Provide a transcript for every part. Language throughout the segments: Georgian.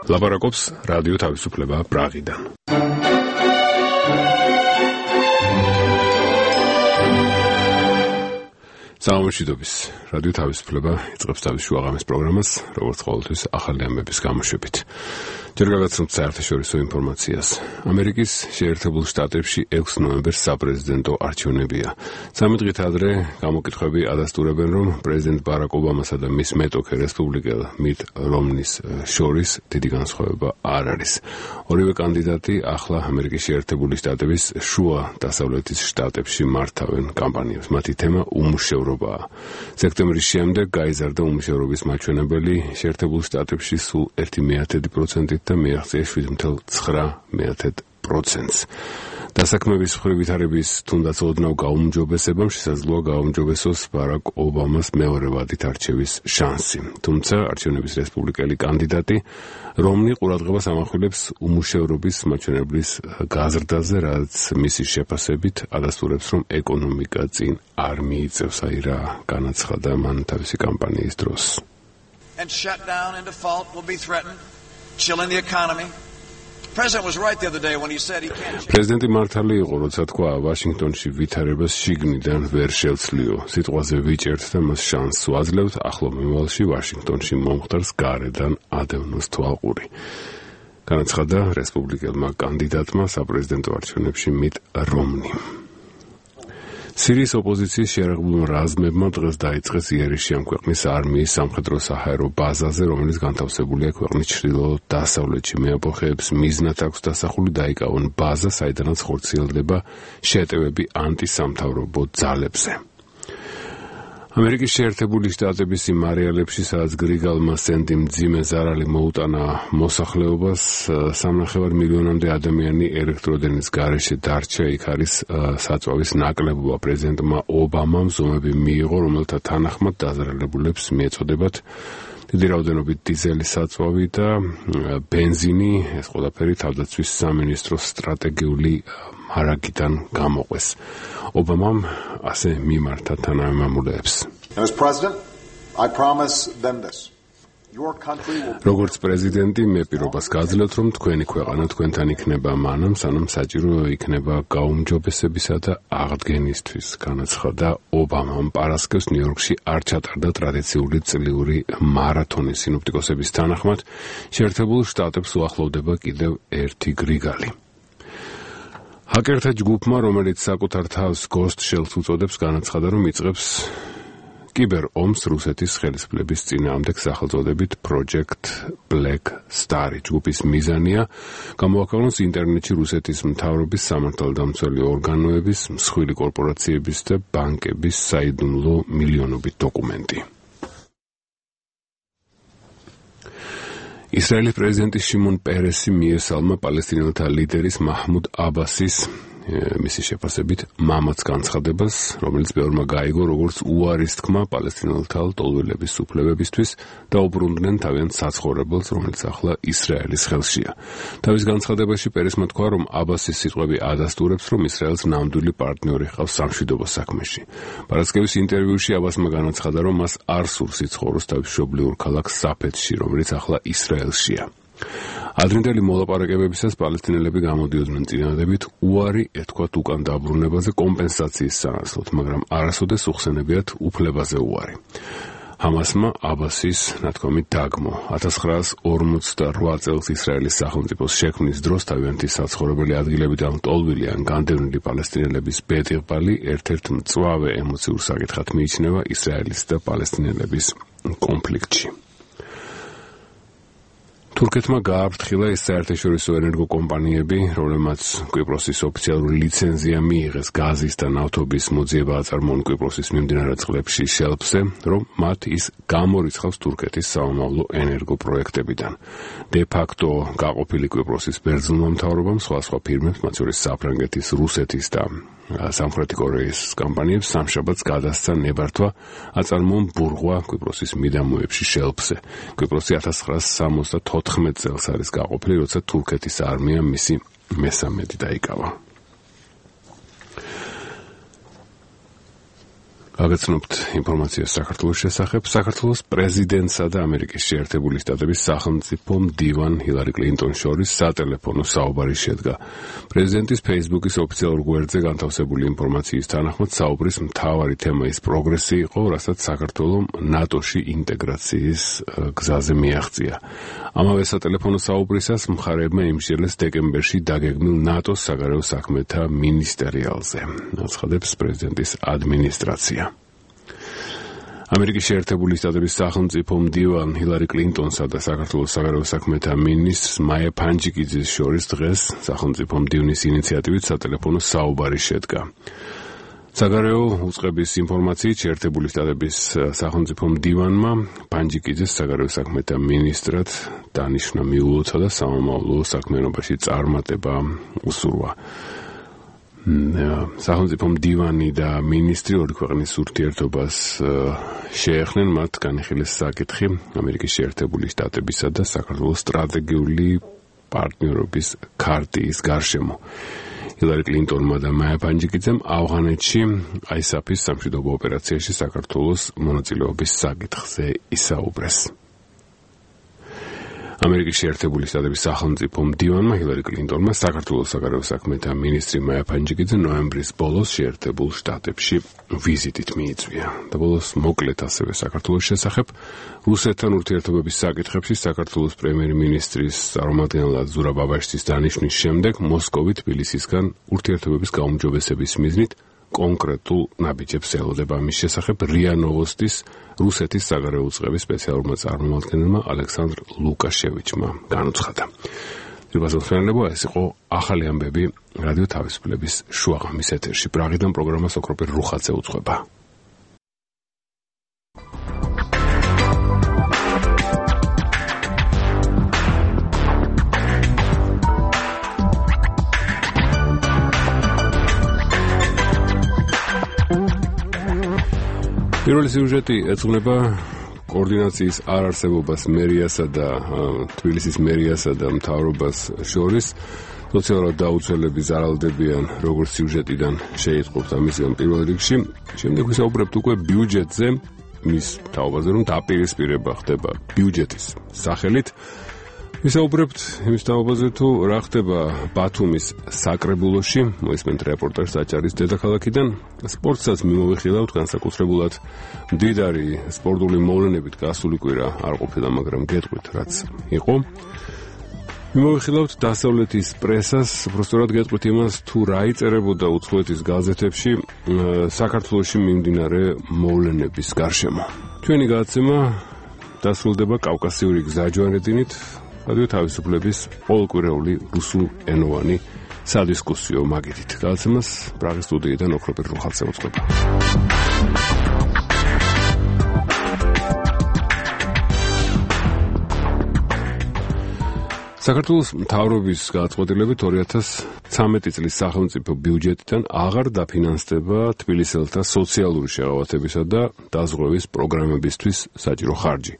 ლაპარაკობს რადიო თავისუფლება პრაღიდან. საამოშვიდობის რადიო თავისუფლება იწყებს თავის შუაღამის პროგრამას, როგორც ყოველთვის ახალი ამბების გამოშვებით. ჯერ გავაცნობთ საერთაშორისო ინფორმაციას. ამერიკის შეერთებულ შტატებში 6 ნოემბერს საპრეზიდენტო არჩევნებია. 13 დღით ადრე გამოკითხვები ადასტურებენ, რომ პრეზიდენტ ბარაკ ობამასა და მის მეტოქე რესპუბლიკელ მიტ რომნის შორის დიდი განსხვავება არ არის. ორივე კანდიდატი ახლა ამერიკის შეერთებული შტატების შუა დასავლეთის შტატებში მართავენ კამპანიებს. მათი თემა უმუშევრობაა. სექტემბრის შემდეგ გაიზარდა უმუშევრობის მაჩვენებელი შეერთებულ შტატებში სულ 1/10% და მიაღწია 7.9%. დასაქმების მხრივ ვითარების თუნდაც ოდნავ გაუმჯობესებამ შესაძლოა გაუმჯობესოს ბარაკ ობამას მეორე ვადით არჩევის შანსი. თუმცა არჩევნების რესპუბლიკელი კანდიდატი რომნი ყურადღებას ამახვილებს უმუშევრობის მაჩვენებლის გაზრდაზე, რაც მისი შეფასებით ადასტურებს, რომ ეკონომიკა წინ არ მიიწევს, აი რა განაცხადა მან თავისი კამპანიის დროს. And shut down and default will be threatened, chilling the economy. პრეზიდენტი მართალი იყო, როცა თქვა, ვაშინგტონში ვითარებას შიგნიდან ვერ შევცლიო. სიტყვაზე ვიჭერთ და მას შანსს ვაძლევთ, ახლო მომავალში ვაშინგტონში მომხდარს გარედან ადევნოს თვალყური. განაცხადა რესპუბლიკელმა კანდიდატმა საპრეზიდენტო არჩევნებში მიტ რომნი. სირიის ოპოზიციის შეიარაღებულმა რაზმებმა დღეს დაიწყეს იერიშში ამ ქვეყნის არმიის სამხედრო-საჰაერო ბაზაზე, რომელიც განთავსებულია ქვეყნის ჩრდილო-დასავლეთში. მეაფოხეებს მიზნად აქვს დასახული დაიკავონ ბაზა, საიდანაც ხორციელდება შეტევები ანტისამთავრობო ძალებზე. ამერიკის შეერთებული შტატების იმ არეალებში, სადაც გრიგალმა სენდი მძიმე ზარალი მოუტანა მოსახლეობას, 3,5 მილიონამდე ადამიანი ელექტროდენის გარეშე დარჩა. იქ არის საწვავის ნაკლებობა. პრეზიდენტმა ობამამ ზომები მიიღო, რომელთა თანახმად დაზარალებულებს მიეწოდებათ დიდი რაოდენობით დიზელის საწვავი და ბენზინი. ეს ყველაფერი თავდაცვის სამინისტროს სტრატეგიული მარაგიდან გამოყვეს. ობამამ ასე მიმართა თანამემამულეებს. როგორც პრეზიდენტი, მე პირობას გაძლევთ, რომ თქვენი ქვეყანა თქვენთან იქნება მანამ, სანამ საჭირო იქნება გაუმჯობესებისა და აღდგენისთვის. განაცხადა ობამამ. პარასკევს ნიუ-იორკში არ ჩატარდა ტრადიციული წლიური მარათონი. სინოპტიკოსების თანახმად, შეერთებულ შტატებს უახლოვდება კიდევ ერთი გრიგალი. ჰაკერთა ჯგუფმა, რომელიც საკუთარ თავს Ghost Shells უწოდებს, განაცხადა, რომ იწყებს კიბერ ომს რუსეთის ხელისუფლების წინააღმდეგ სახელწოდებით Project Black Star. ჯგუფის მიზანია გამოაქვეყნოს ინტერნეტში რუსეთის მთავრობის სამართალდამცველი ორგანოების, მსხვილი კორპორაციების და ბანკების საიდუმლო მილიონობით დოკუმენტი. ისრაელის პრეზიდენტი შიმონ პერესი მიესალმა პალესტინელთა ლიდერის მაჰმუდ აბასის მისი შეფასებით მამაც განცხადებას, რომელიც ბევრმა გაიგო როგორც უარის თქმა პალესტინელთა ლტოლვილების უფლებებისთვის და უბრუნდნენ თავიანთ საცხოვრებელს, რომელიც ახლა ისრაელის ხელშია. თავის განცხადებაში პერესმა თქვა, რომ აბასის სიტყვები ადასტურებს, რომ ისრაელს ნამდვილი პარტნიორი ჰყავს სამშვიდობო საქმეში. პარასკევის ინტერვიუში აბასმა განაცხადა, რომ მას არ სურს იცხოვროს თავის მშობლიურ ქალაქ საფეთში, რომელიც ახლა ისრაელშია. ადრინდელი მოლაპარაკებებისას პალესტინელები გამოდიოდნენ წინადადებით უარი ეთქვათ უკან დაბრუნებაზე კომპენსაციის სანაცვლოდ, მაგრამ არასოდეს უხსენებიათ უფლებაზე უარი. ჰამასმა აბასის ნათქვამით დაგმო. 1948 წელს ისრაელის სახელმწიფოს შექმნის დროს თავიანთი საცხოვრებელი ადგილებიდან ლტოლვილი ან განდევნილი პალესტინელების ბედიღბალი ერთ-ერთ მწვავე ემოციურ საკითხად მიიჩნევა ისრაელის და პალესტინელების კონფლიქტში. თურქეთმა გააფრთხილა ის საერთაშორისო ენერგოკომპანიები, რომლებმაც კვიპროსის ოფიციალური ლიცენზია მიიღეს გაზის და ნავთობის მოძიება აწარმოონ კვიპროსის მიმდინარე წყლებში შელფზე, რომ მათ ის გამორიცხავს თურქეთის სამომავლო ენერგოპროექტებიდან. დე ფაქტო გაყოფილი კვიპროსის ბერძნულმა მთავრობამ სხვადასხვა ფირმებს, მათ შორის საფრანგეთის, რუსეთის და სამხრეთი კორეის კომპანიებს სამშაბათს გადასცა ნებართვა აწარმოონ ბურღვა კვიპროსის მიდამოებში შელფზე. კვიპროსი 1974 წელს არის გაყოფილი, როცა თურქეთის არმიამ მისი მესამედი დაიკავა. გაგაცნობთ ინფორმაციას საქართველოს შესახებ. საქართველოს პრეზიდენტსა და ამერიკის შეერთებული შტატების სახელმწიფო მდივან ჰილარი კლინტონის შორის სატელეფონო საუბარი შედგა. პრეზიდენტის Facebook-ის ოფიციალურ გვერდზე განთავსებული ინფორმაციის თანახმად საუბრის მთავარი თემა ის პროგრესი იყო, რასაც საქართველო ნატოში ინტეგრაციის გზაზე მიაღწია. ამავე სატელეფონო საუბრისას მხარეებმა იმსჯელეს დეკემბერში დაგეგმილ ნატოს საგარეო საქმეთა მინისტერიალზე. აცხადებს პრეზიდენტის ადმინისტრაცია. ამერიკის შეერთებული შტატების სახელმწიფო მდივან ჰილარი კლინტონსა და საქართველოს საგარეო საქმეთა მინისტრს მაია ფანჯიკიძის შორის დღეს სახელმწიფო მდივნის ინიციატივით სატელეფონო საუბარი შედგა. საგარეო უწყების ინფორმაციით შეერთებული შტატების სახელმწიფო მდივანმა ფანჯიკიძეს საგარეო საქმეთა მინისტრად დანიშნა მიულოცა და სამომავლო საქმიანობაში წარმატება უსურვა. სახელმწიფო მდივანი და მინისტრი ორი ქვეყნის ურთიერთობას შეეხნენ, მათ განიხილეს საკითხი ამერიკის შეერთებული შტატებისა და საქართველოს სტრატეგიული პარტნიორობის ქარტიის გარშემო. ჰილარი კლინტონმა და მაია ფანჯიკიძემ ავღანეთში ISAF-ის სამშვიდობო ოპერაციაში საქართველოს მონაწილეობის საკითხზე ისაუბრეს. ამერიკის შეერთებული შტატების სახელმწიფო მდივანმა ჰილარი კლინტონმა საქართველოს საგარეო საქმეთა მინისტრი მაია ფანჯიკიძე ნოემბრის ბოლოს შეერთებულ შტატებში ვიზიტით მიიწვია. და ბოლოს მოკლედ ასევე საქართველოს შესახებ რუსეთთან ურთიერთობების საკითხებში საქართველოს პრემიერ-მინისტრის წარმომადგენლად ზურაბ ბაბაშვილის დანიშვნის შემდეგ მოსკოვი თბილისისგან ურთიერთობების გაუმჯობესების მიზნით კონკრეტულ ნაბიჯებს ელოდება. ამის შესახებ RIA Novostis რუსეთის საგარეო უწყების სპეციალურმა წარმომადგენელმა ალექსანდრ ლუკაშევიჩმა განუცხადა. ძირფასმხმელებო, ეს იყო ახალი ამბები რადიო თავისუფლების შუაღამის ეთერში. პრაღიდან პროგრამას ოქროპირ რუხაძე უძღვება. პირველი სიუჟეტი ეძღვნება კოორდინაციის არარსებობას მერიასა და თბილისის მერიასა და მთავრობას შორის. სოციალურად დაუცველები ზარალდებიან, როგორც სიუჟეტიდან შეიტყობთ ამისგან პირველ რიგში. შემდეგ ვისაუბრებთ უკვე ბიუჯეტზე, მის თაობაზე, რომ დაპირისპირება ხდება ბიუჯეტის სახელით. ვისაუბრებთ იმის თაობაზე, თუ რა ხდება ბათუმის საკრებულოში, მოისმენთ რეპორტაჟს აჭარის დედაქალაქიდან. სპორტსაც მიმოვიხილავთ, განსაკუთრებულად მდიდარი სპორტული მოვლენებით გასული კვირა არ ყოფილა, მაგრამ გეტყვით რაც იყო. მიმოვიხილავთ დასავლეთის პრესას, უბრალოდ გეტყვით იმას, თუ რა იწერებოდა უცხოეთის გაზეთებში საქართველოში მიმდინარე მოვლენების გარშემო. ჩვენი გადაცემა დასრულდება კავკასიური გზაჯვარედინით, რადიო თავისუფლების ყოველკვირეული რუსულენოვანი სადისკუსიო მაგიდით. გადაცემას პრაღის სტუდიიდან ოქროპირ რუხაძე უძღვება. საქართველოს მთავრობის გადაწყვეტილებით 2013 წლის სახელმწიფო ბიუჯეტიდან აღარ დაფინანსდება თბილისელთა სოციალური შეღავათებისა და დაზღვევის პროგრამებისთვის საჭირო ხარჯი.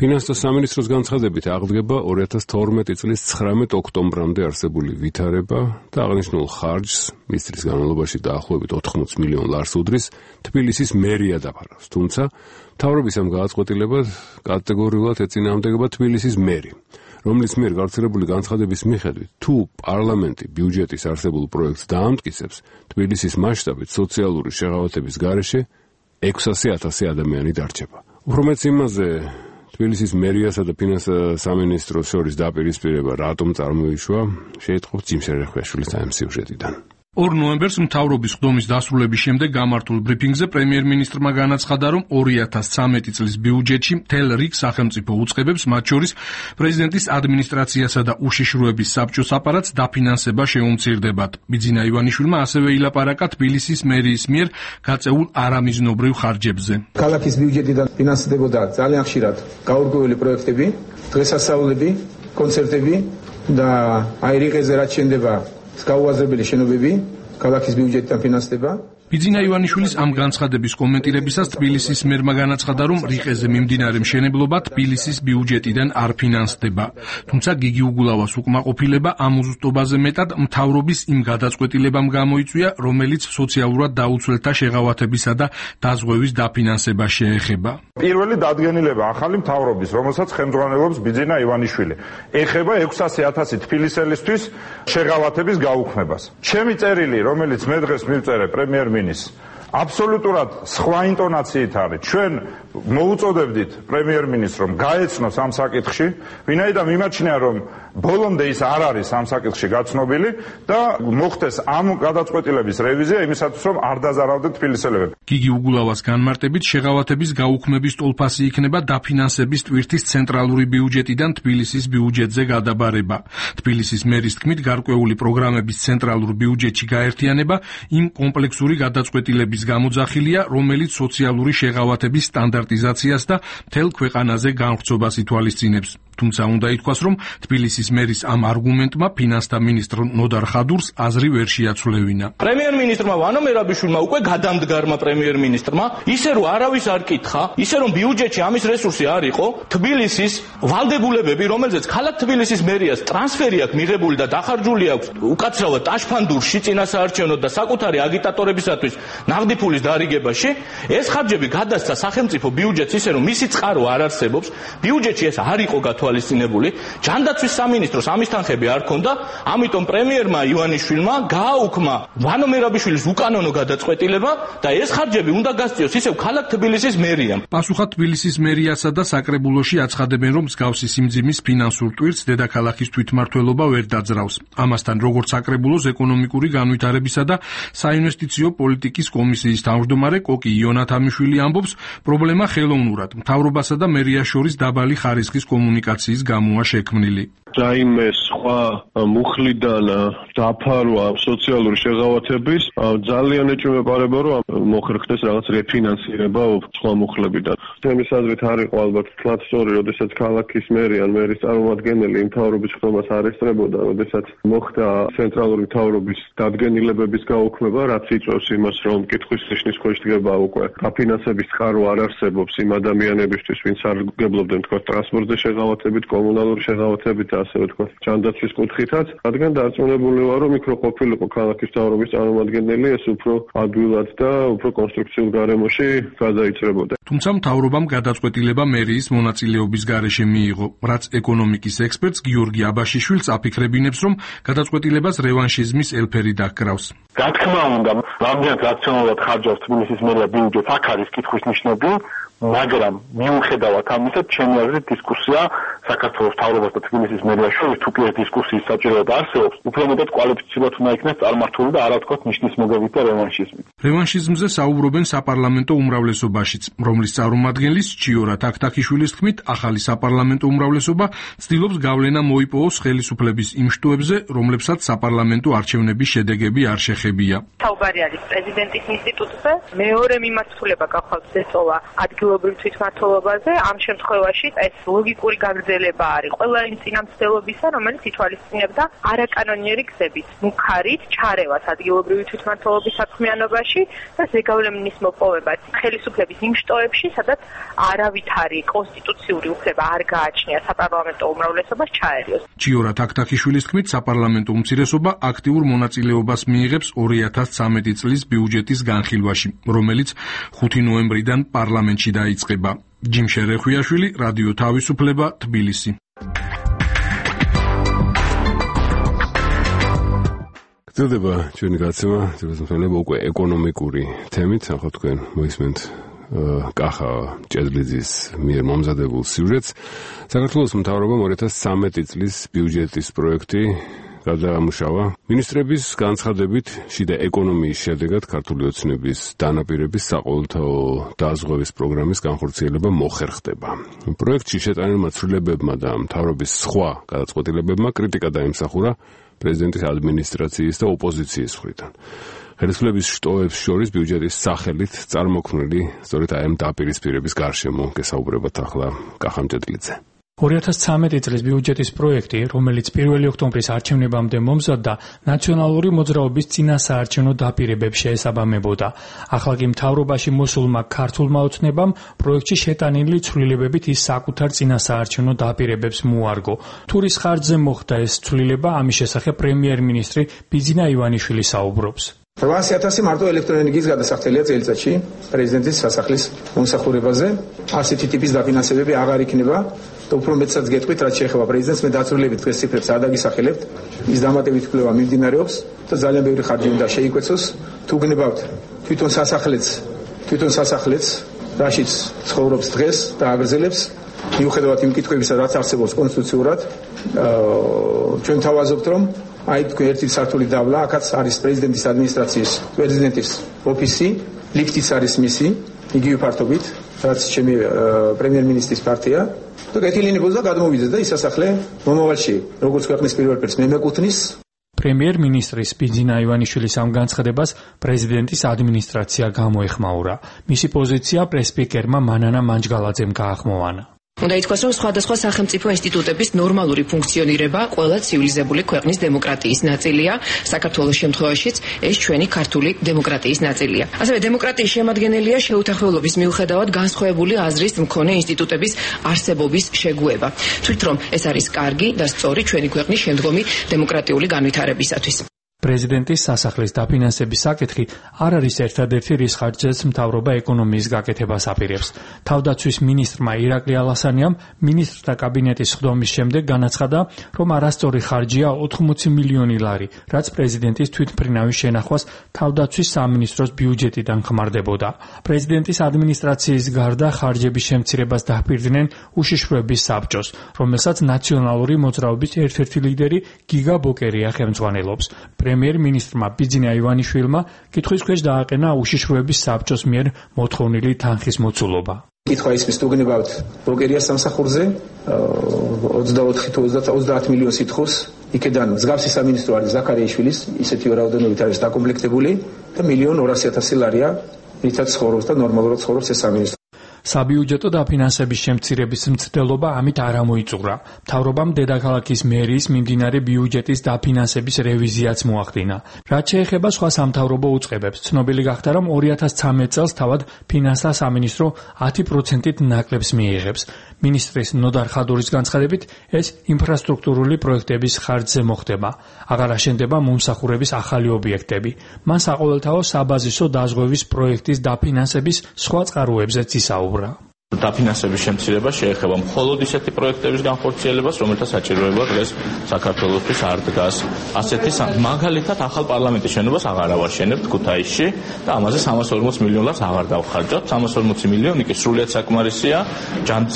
ფინანსთა სამინისტროს განცხადებით აღდგება 2012 წლის 19 ოქტომბრამდე არსებული ვითარება და აღნიშნულ ხარჯს მის წლის განმავლობაში დაახლოებით 80 მილიონ ლარს უდრის თბილისის მერია დაფარავს. თუმცა მთავრობის ამ გადაწყვეტილებად კატეგორიულად ეწინააღმდეგება თბილისის მერი, რომლის მიერ გავრცელებული განცხადების მიხედვით, თუ პარლამენტი ბიუჯეტის არსებულ პროექტს დაამტკიცებს, თბილისის მასშტაბით სოციალური შეღავათების გარეშე 600,000 ადამიანი დარჩება. უფრო მეც იმაზე, თბილისის მერიასა და ფინანსთა სამინისტროს შორის დაპირისპირება რატომ წარმოიშვა, შეიტყობთ ჯიმშერ რეხვეშვილის ამ სიუჟეტიდან. 2 ნოემბერს მთავრობის ხდომის დასრულების შემდეგ გამართულ ბრიფინგზე პრემიერ-მინისტრმა განაცხადა, რომ 2013 წლის ბიუჯეტში მთელ რიგ სახელმწიფო უწყებებს, მათ შორის პრეზიდენტის ადმინისტრაციასა და უშიშროების საბჭოს აპარატს დაფინანსება შეუმცირდებათ. ბიძინა ივანიშვილმა ასევე ილაპარაკა თბილისის მერიის მიერ გაწეულ არამიზნობრივ ხარჯებზე. ქალაქის ბიუჯეტიდან ფინანსდებოდა ძალიან ხშირად გაურკვეველი პროექტები, დღესასწაულები, კონცერტები და აი რიყეზე რაც შენდება გაუაზრებელი შენობები, ქალაქის ბიუჯეტიდან ფინანსდება. ბიძინა ივანიშვილის ამ განცხადების კომენტირებისას თბილისის მერმა განაცხადა, რომ რიყეზე მიმდინარე მშენებლობა თბილისის ბიუჯეტიდან არ ფინანსდება. თუმცა გიგი უგულავას უკმაყოფილება ამ უზუსტობაზე მეტად მთავრობის იმ გადაწყვეტილებამ გამოიწვია, რომელიც სოციალურად დაუცველთა შეღავათებისა და დაზღვევის დაფინანსებას შეეხება. პირველი დადგენილება ახალი მთავრობის, რომელსაც ხელმძღვანელობს ბიძინა ივანიშვილი, ეხება 600,000 თბილისელისთვის შეღავათების გაუქმებას. ჩემი წერილი, რომელიც მე დღეს მივწერე პრემიერ-მინისტრს, აბსოლუტურად სხვა ინტონაციით არის. ჩვენ მოუწოდებდით პრემიერ-მინისტრს, რომ გაეცნოს ამ საკითხში, ვინაიდან მიმაჩნია, რომ ბოლომდე ის არ არის ამ საკითხში გაცნობილი და მოხდეს ამ გადაწყვეტილების რევიზია იმისათვის, რომ არ დაზარავდნენ თბილისელებები. გიგი უგულავას განმარტებით, შეღავათების გაუქმების ტოლფასი იქნება დაფინანსების ტვირთის ცენტრალური ბიუჯეტიდან თბილისის ბიუჯეტზე გადაბარება. თბილისის მერის თქმით, გარკვეული პროგრამების ცენტრალურ ბიუჯეტში გაერთიანება იმ კომპლექსური გადაწყვეტილების გამოძახილია, რომელიც სოციალური შეღავათების სტანდარტიზაციას და მთელ ქვეყანაზე განვრცობას ითვალისწინებს. თუმცა უნდა ითქვას, რომ თბილისის მერის ამ არგუმენტმა ფინანსთა მინისტრ ნოდარ ხადურს აზრი ვერ შეაცვლევინა. პრემიერ-მინისტრმა ვანო მერაბიშვილმა უკვე გადამდგარმა პრემიერ-მინისტრმა ისე რომ არავის არ კითხა, ისე რომ ბიუჯეტში ამის რესურსი არ იყო, თბილისის ვალდებულებები, რომელზეც ქალაქ თბილისის მერიას ტრანსფერი აქვს მიღებული და დახარჯული აქვს უკაცრავად ტაშფანდურში წინასაარჩევნო და საკუთარი აგიტატორებისათვის ნაღდი ფულის დარიგებაში, ეს ხარჯები გადასცა სახელმწიფო ბიუჯეტს ისე რომ მისი წყარო არ არსებობს, ბიუჯეტში ეს არ იყო გათვალისწინებული, ჯანდაცვის სამინისტროს ამის თანხები არ ქონდა, ამიტომ პრემიერმა ივანიშვილმა გააუქმა ვანო მერაბიშვილის უკანონო გადაწყვეტილება და ეს ხარჯები უნდა გასწიოს ისევ ქალაქ თბილისის მერიამ. პასუხად თბილისის მერიასა და საკრებულოში აცხადებენ, რომ მსგავსი სიმძიმის ფინანსურ ტვირთს დედაქალაქის თვითმმართველობა ვერ დაძრავს. ამასთან, როგორც საკრებულოს ეკონომიკური განვითარებისა და საინვესტიციო პოლიტიკის კომისიის თავმჯდომარე კოკი იონათამიშვილი ამბობს, პრობლემა ხელოვნურად მთავრობასა და მერიას შორის დაბალი ხარისხის კომუნიკაციის გამოა შექმნილი. რაიმე სხვა მუხლიდან დაფარვა სოციალური შეღავათების ძალიან ეჭვმეპარება, რომ მოხერხდეს რაღაც რეფინანსირება სხვა მუხლებიდან. ჩემის აზრით არ იყო ალბათ თლაც სწორი, როდესაც ქალაქის მერი ან მერის წარმომადგენელი იმ მთავრობის ხდომას არ ესწრებოდა, როდესაც მოხდა ცენტრალური მთავრობის დადგენილებების გაუქმება, რაც იწვევს იმას, რომ კითხვის ნიშნის ქვეშ დგება უკვე დაფინანსების წყარო არ არსებობს იმ ადამიანებისთვის, ვინც სარგებლობდნენ თქვა ტრანსპორტზე შეღავათებით, კომუნალური შეღავათებით და ასევე თქვა ჯანდაცვის კუთხითაც, რადგან დარწმუნებული ვარ, რომ იქ რო ყოფილიყო ქალაქის მთავრობის წარმომადგენელი, ეს უფრო ადვილად და უფრო კონსტრუქციულ გარემოში გადაიჭრებოდა. თუმცა მთავრობამ გადაწყვეტილება მერიის მონაწილეობის გარეშე მიიღო, რაც ეკონომიკის ექსპერტს გიორგი აბაშიშვილს აფიქრებინებს, რომ გადაწყვეტილებას რევანშიზმის ელფერი დაკრავს. რა თქმა უნდა, რამდენად რაციონალურად ხარჯავს თბილისის მერია ბიუჯეტს, აქ არის კითხვის ნიშნები, მაგრამ მიუხედავად ამისა, ჩემი აზრით დისკუსია საქართველოს მთავრობას და თბილისის მერიას შორის თუ კი ეს დისკუსიის საჭიროება არსებობს, უფრო მეტად კვალიფიცირებად უნდა იქნას წარმართული და არა ვთქვათ ნიშნის მოგებით და რევანშიზმით. რევანშიზმზე საუბრობენ საპარლამენტო უმრავლესობაშიც, რომლის წარმომადგენლის ჩიორა თაქთაქიშვილის თქმით, ახალი საპარლამენტო უმრავლესობა ცდილობს გავლენა მოიპოვოს ხელისუფლების იმ შტოებზე, რომლებსაც საპარლამენტო არჩევნების შედეგები არ შეხებია. საუბარი არის პრეზიდენტის ინსტიტუტზე, მეორე მიმართულება გახვალთ ზეწოლა ადგილობრივ თვითმმართველობაზე, ამ შემთხვევაში ეს ლოგიკური გაგრძელება არის ყველა იმ წინამძღოლობისა, რომელიც ითვალისწინებდა არაკანონიერი გზებით, მუქარით ჩარევას ადგილობრივი თვითმმართველობის საქმიანობაში და ზეგავლენის მოპოვებას ხელისუფლების იმ შტოებში, სადაც არავითარი კონსტიტუციური უფლება არ გააჩნია საპარლამენტო უმრავლესობას ჩაერიოს. ჩიორა თაქთაქიშვილის თქმით, საპარლამენტო უმცირესობა აქტიურ მონაწილეობას მიიღებს 2013 წლის ბიუჯეტის განხილვაში, რომელიც 5 ნოემბრიდან პარლამენტში დაიწყება. ჯიმ შერეხვიაშვილი, რადიო თავისუფლება, თბილისი. გრძელდება ჩვენი გაცემა, ძირითადად უკვე ეკონომიკური თემით, ახლა თქვენ მოისმენთ კახა ჭედლიძის მიერ მომზადებულ სიუჟეტს. საქართველოს მთავრობამ 2013 წლის ბიუჯეტის პროექტი გადაამუშავა. მინისტრების განცხადებით, შიდა ეკონომიის შედეგად ქართული ოცნების დანაპირების საყოველთაო დაზღვევის პროგრამის განხორციელება მოხერხდება. პროექტში შეტანილმა ცვლილებებმა და მთავრობის სხვა გადაწყვეტილებებმა კრიტიკა დაიმსახურა პრეზიდენტის ადმინისტრაციის და ოპოზიციის მხრიდან. ხელისუფლების შტოებს შორის ბიუჯეტის სახელით წარმოქმნილი სწორედ ამ დაპირისპირების გარშემო გესაუბრებათ ახლა კახა ჭედლიძე. 2013 წლის ბიუჯეტის პროექტი, რომელიც 1 ოქტომბრის არჩევნებამდე მომზადდა, ნაციონალური მოძრაობის წინასაარჩევნო დაპირებებს შეესაბამებოდა. ახლა კი მთავრობაში მოსულმა ქართულმა ოცნებამ პროექტში შეტანილი ცვლილებებით ის საკუთარ წინასაარჩევნო დაპირებებს მოარგო. თურის ხარჯზე მოხდა ეს ცვლილება, ამის შესახებ პრემიერ-მინისტრი ბიძინა ივანიშვილი საუბრობს. 800.000 მარტო ელექტროენერგიის გადასახდელია წელიწადში პრეზიდენტის სასახლის მომსახურებაზე. ასეთი ტიპის დაფინანსებები აღარ იქნება. და უფრო მეტსაც გეტყვით, რაც შეეხება პრეზიდენტს, მე დაწვრილებით დღეს ციფრებს არ დაგისახელებთ. ის დამატებით კვლევა მიმდინარეობს და ძალიან ბევრი ხარჯი უნდა შეიკვეცოს. თუ გნებავთ თვითონ სასახლეც, რაშიც ცხოვრობს დღეს და აგრძელებს, მიუხედავად იმ კითხვებისა, რაც არსებობს კონსტიტუციურად, ჩვენ თავაზობთ, რომ აი თქვენ ერთი სართული დავლა, აქაც არის პრეზიდენტის ადმინისტრაციის, პრეზიდენტის ოფისი, ლიფტიც არის მისი, იგივე ფართობით, რაც ჩემი პრემიერ-მინისტრის პარტია. და გეტილინებოს და გადმოვიდეს და ის სასახლე მომავალში, როგორც ქვეყნის პირველ პირს მე მეკუთვნის. პრემიერ-მინისტრის ბიძინა ივანიშვილის ამ განცხადებას პრეზიდენტის ადმინისტრაცია გამოეხმაურა. მისი პოზიცია პრეს-სპიკერმა მანანა მანჯგალაძემ გაახმოვანა. უნდა ითქვას, რომ სხვადასხვა სახელმწიფო ინსტიტუტების ნორმალური ფუნქციონირება ყველა ცივილიზებული ქვეყნის დემოკრატიის ნაწილია, საქართველოს შემთხვევაშიც ეს ჩვენი ქართული დემოკრატიის ნაწილია. ასევე დემოკრატიის შემადგენელია შეუთანხმებლობის მიუხედავად განსხვავებული აზრის მქონე ინსტიტუტების არსებობის შეგუება. თვით რომ ეს არის კარგი და სწორი ჩვენი ქვეყნის შემდგომი დემოკრატიული განვითარებისათვის. პრეზიდენტის სასახლის დაფინანსების საკითხი არ არის ერთადერთი, რის ხარჯზეც მთავრობა ეკონომიის გაკეთებას აპირებს. თავდაცვის მინისტრმა ირაკლი ალასანიამ მინისტრთა კაბინეტის სხდომის შემდეგ განაცხადა, რომ არასწორი ხარჯია 80 მილიონი ლარი, რაც პრეზიდენტის თვითმფრინავის შენახვას თავდაცვის სამინისტროს ბიუჯეტიდან ხმარდებოდა. პრეზიდენტის ადმინისტრაციის გარდა ხარჯების შემცირებას დაჰპირდნენ უშიშროების საბჭოს, რომელსაც ნაციონალური მოძრაობის ერთ-ერთი ლიდერი გიგა ბოკერია ხელმძღვანელობს. პრემიერ-მინისტრმა ბიძინა ივანიშვილმა კითხვის ქვეშ დააყენა უშიშროების საბჭოს მიერ მოთხოვნილი თანხის მოცულობა. კითხვა ისმის თუ გნებავთ ბოკერიას სამსახურზე 24 თუ 30 მილიონი სიტხოს, იქედან მსგავსი სამინისტრო არის ზაქარიაშვილის, ისეთი რაოდენობით არის დაკომპლექტებული და 1.200.000 ლარია, რითაც ცხოვრობს და ნორმალურად ცხოვრობს ეს სამინისტრო. საბიუჯეტო დაფინანსების შემცირების მცდელობა ამით არ ამოიწურა. მთავრობამ დედაქალაქის მერიის მიმდინარე ბიუჯეტის დაფინანსების რევიზიაც მოახდინა. რაც შეეხება სხვა სამთავრობო უწყებებს, ცნობილი გახდა, რომ 2013 წელს თავად ფინანსთა სამინისტრო 10%-ით ნაკლებს მიიღებს. მინისტრის ნოდარ ხადურის განცხადებით, ეს ინფრასტრუქტურული პროექტების ხარჯზე მოხდება. აღარ აშენდება მომსახურების ახალი ობიექტები. მან საყოველთაო საბაზისო დაზღვევის პროექტის დაფინანსების სხვა წყაროებზეც ისაუბრა. დაფინანსების შემცირება შეეხება მხოლოდ ისეთი პროექტების განხორციელებას, რომელთა საჭიროება დღეს საქართველოსთვის არ დგას. ასეთი მაგალითად ახალ პარლამენტის შენობას აღარ ავაშენებთ ქუთაისში და ამაზე 340 მილიონ ლარს აღარ დავხარჯავთ. 340 მილიონი კი სრულიად საკმარისია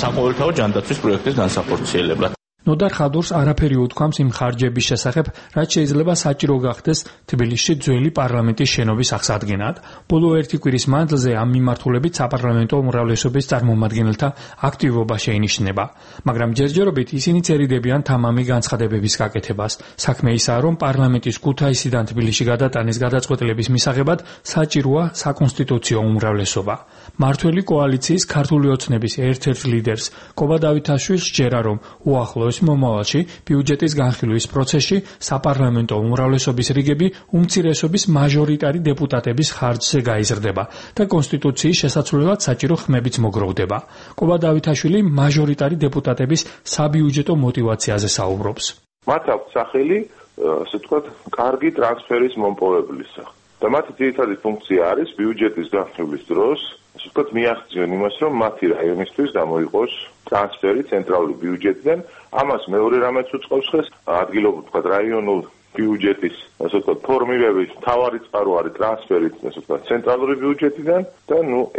საყოველთაო ჯანდაცვის პროექტის განსახორციელებლად. ნოდარ ხადურს არაფერი უთქვამს იმ ხარჯების შესახებ, რაც შეიძლება საჭირო გახდეს თბილისში ძველი პარლამენტის შენობის აღსადგენად. ბოლო ერთი კვირის მანძილზე ამ მიმართულებით საპარლამენტო უმრავლესობის წარმომადგენელთა აქტივობა შეინიშნება. მაგრამ ჯერჯერობით ისინი წერიდებიან თამამი განცხადებების გაკეთებას. საქმე ისაა, რომ პარლამენტის ქუთაისიდან თბილისში გადატანის გადაწყვეტილების მისაღებად საჭიროა საკონსტიტუციო უმრავლესობა. მართველი კოალიციის ქართული ოცნების ერთ-ერთ ლიდერს კობა დავითაშვილს სჯერა, რომ უახლოეს მომავალში ბიუჯეტის განხილვის პროცესში საპარლამენტო უმრავლესობის რიგები უმცირესობის მაჟორიტარი დეპუტატების ხარჯზე გაიზრდება და კონსტიტუციის შესაცვლელად საჭირო ხმებიც მოგროვდება. კობა დავითაშვილი მაჟორიტარი დეპუტატების საბიუჯეტო мотиваციაზე საუბრობს. მათ აქვს სახელი, ასე ვთქვათ, კარგი ტრანსფერის მომპოვებლისა. და მათი ძირითადი ფუნქცია არის ბიუჯეტის განხილვის დროს, ასე ვთქვათ, მიაღწიონ იმას, რომ მათი რაიონისთვის გამოიყოს ტრანსფერი ცენტრალური ბიუჯეტიდან. ამას მეორე რამეც უწყობს ხეს, ადგილობრივ ვთქვათ, რაიონულ ბიუჯეტის, ასე ვთქვათ, ფორმირების მთავარი წყარო არის ტრანსფერი, ასე ვთქვათ, ცენტრალური ბიუჯეტიდან და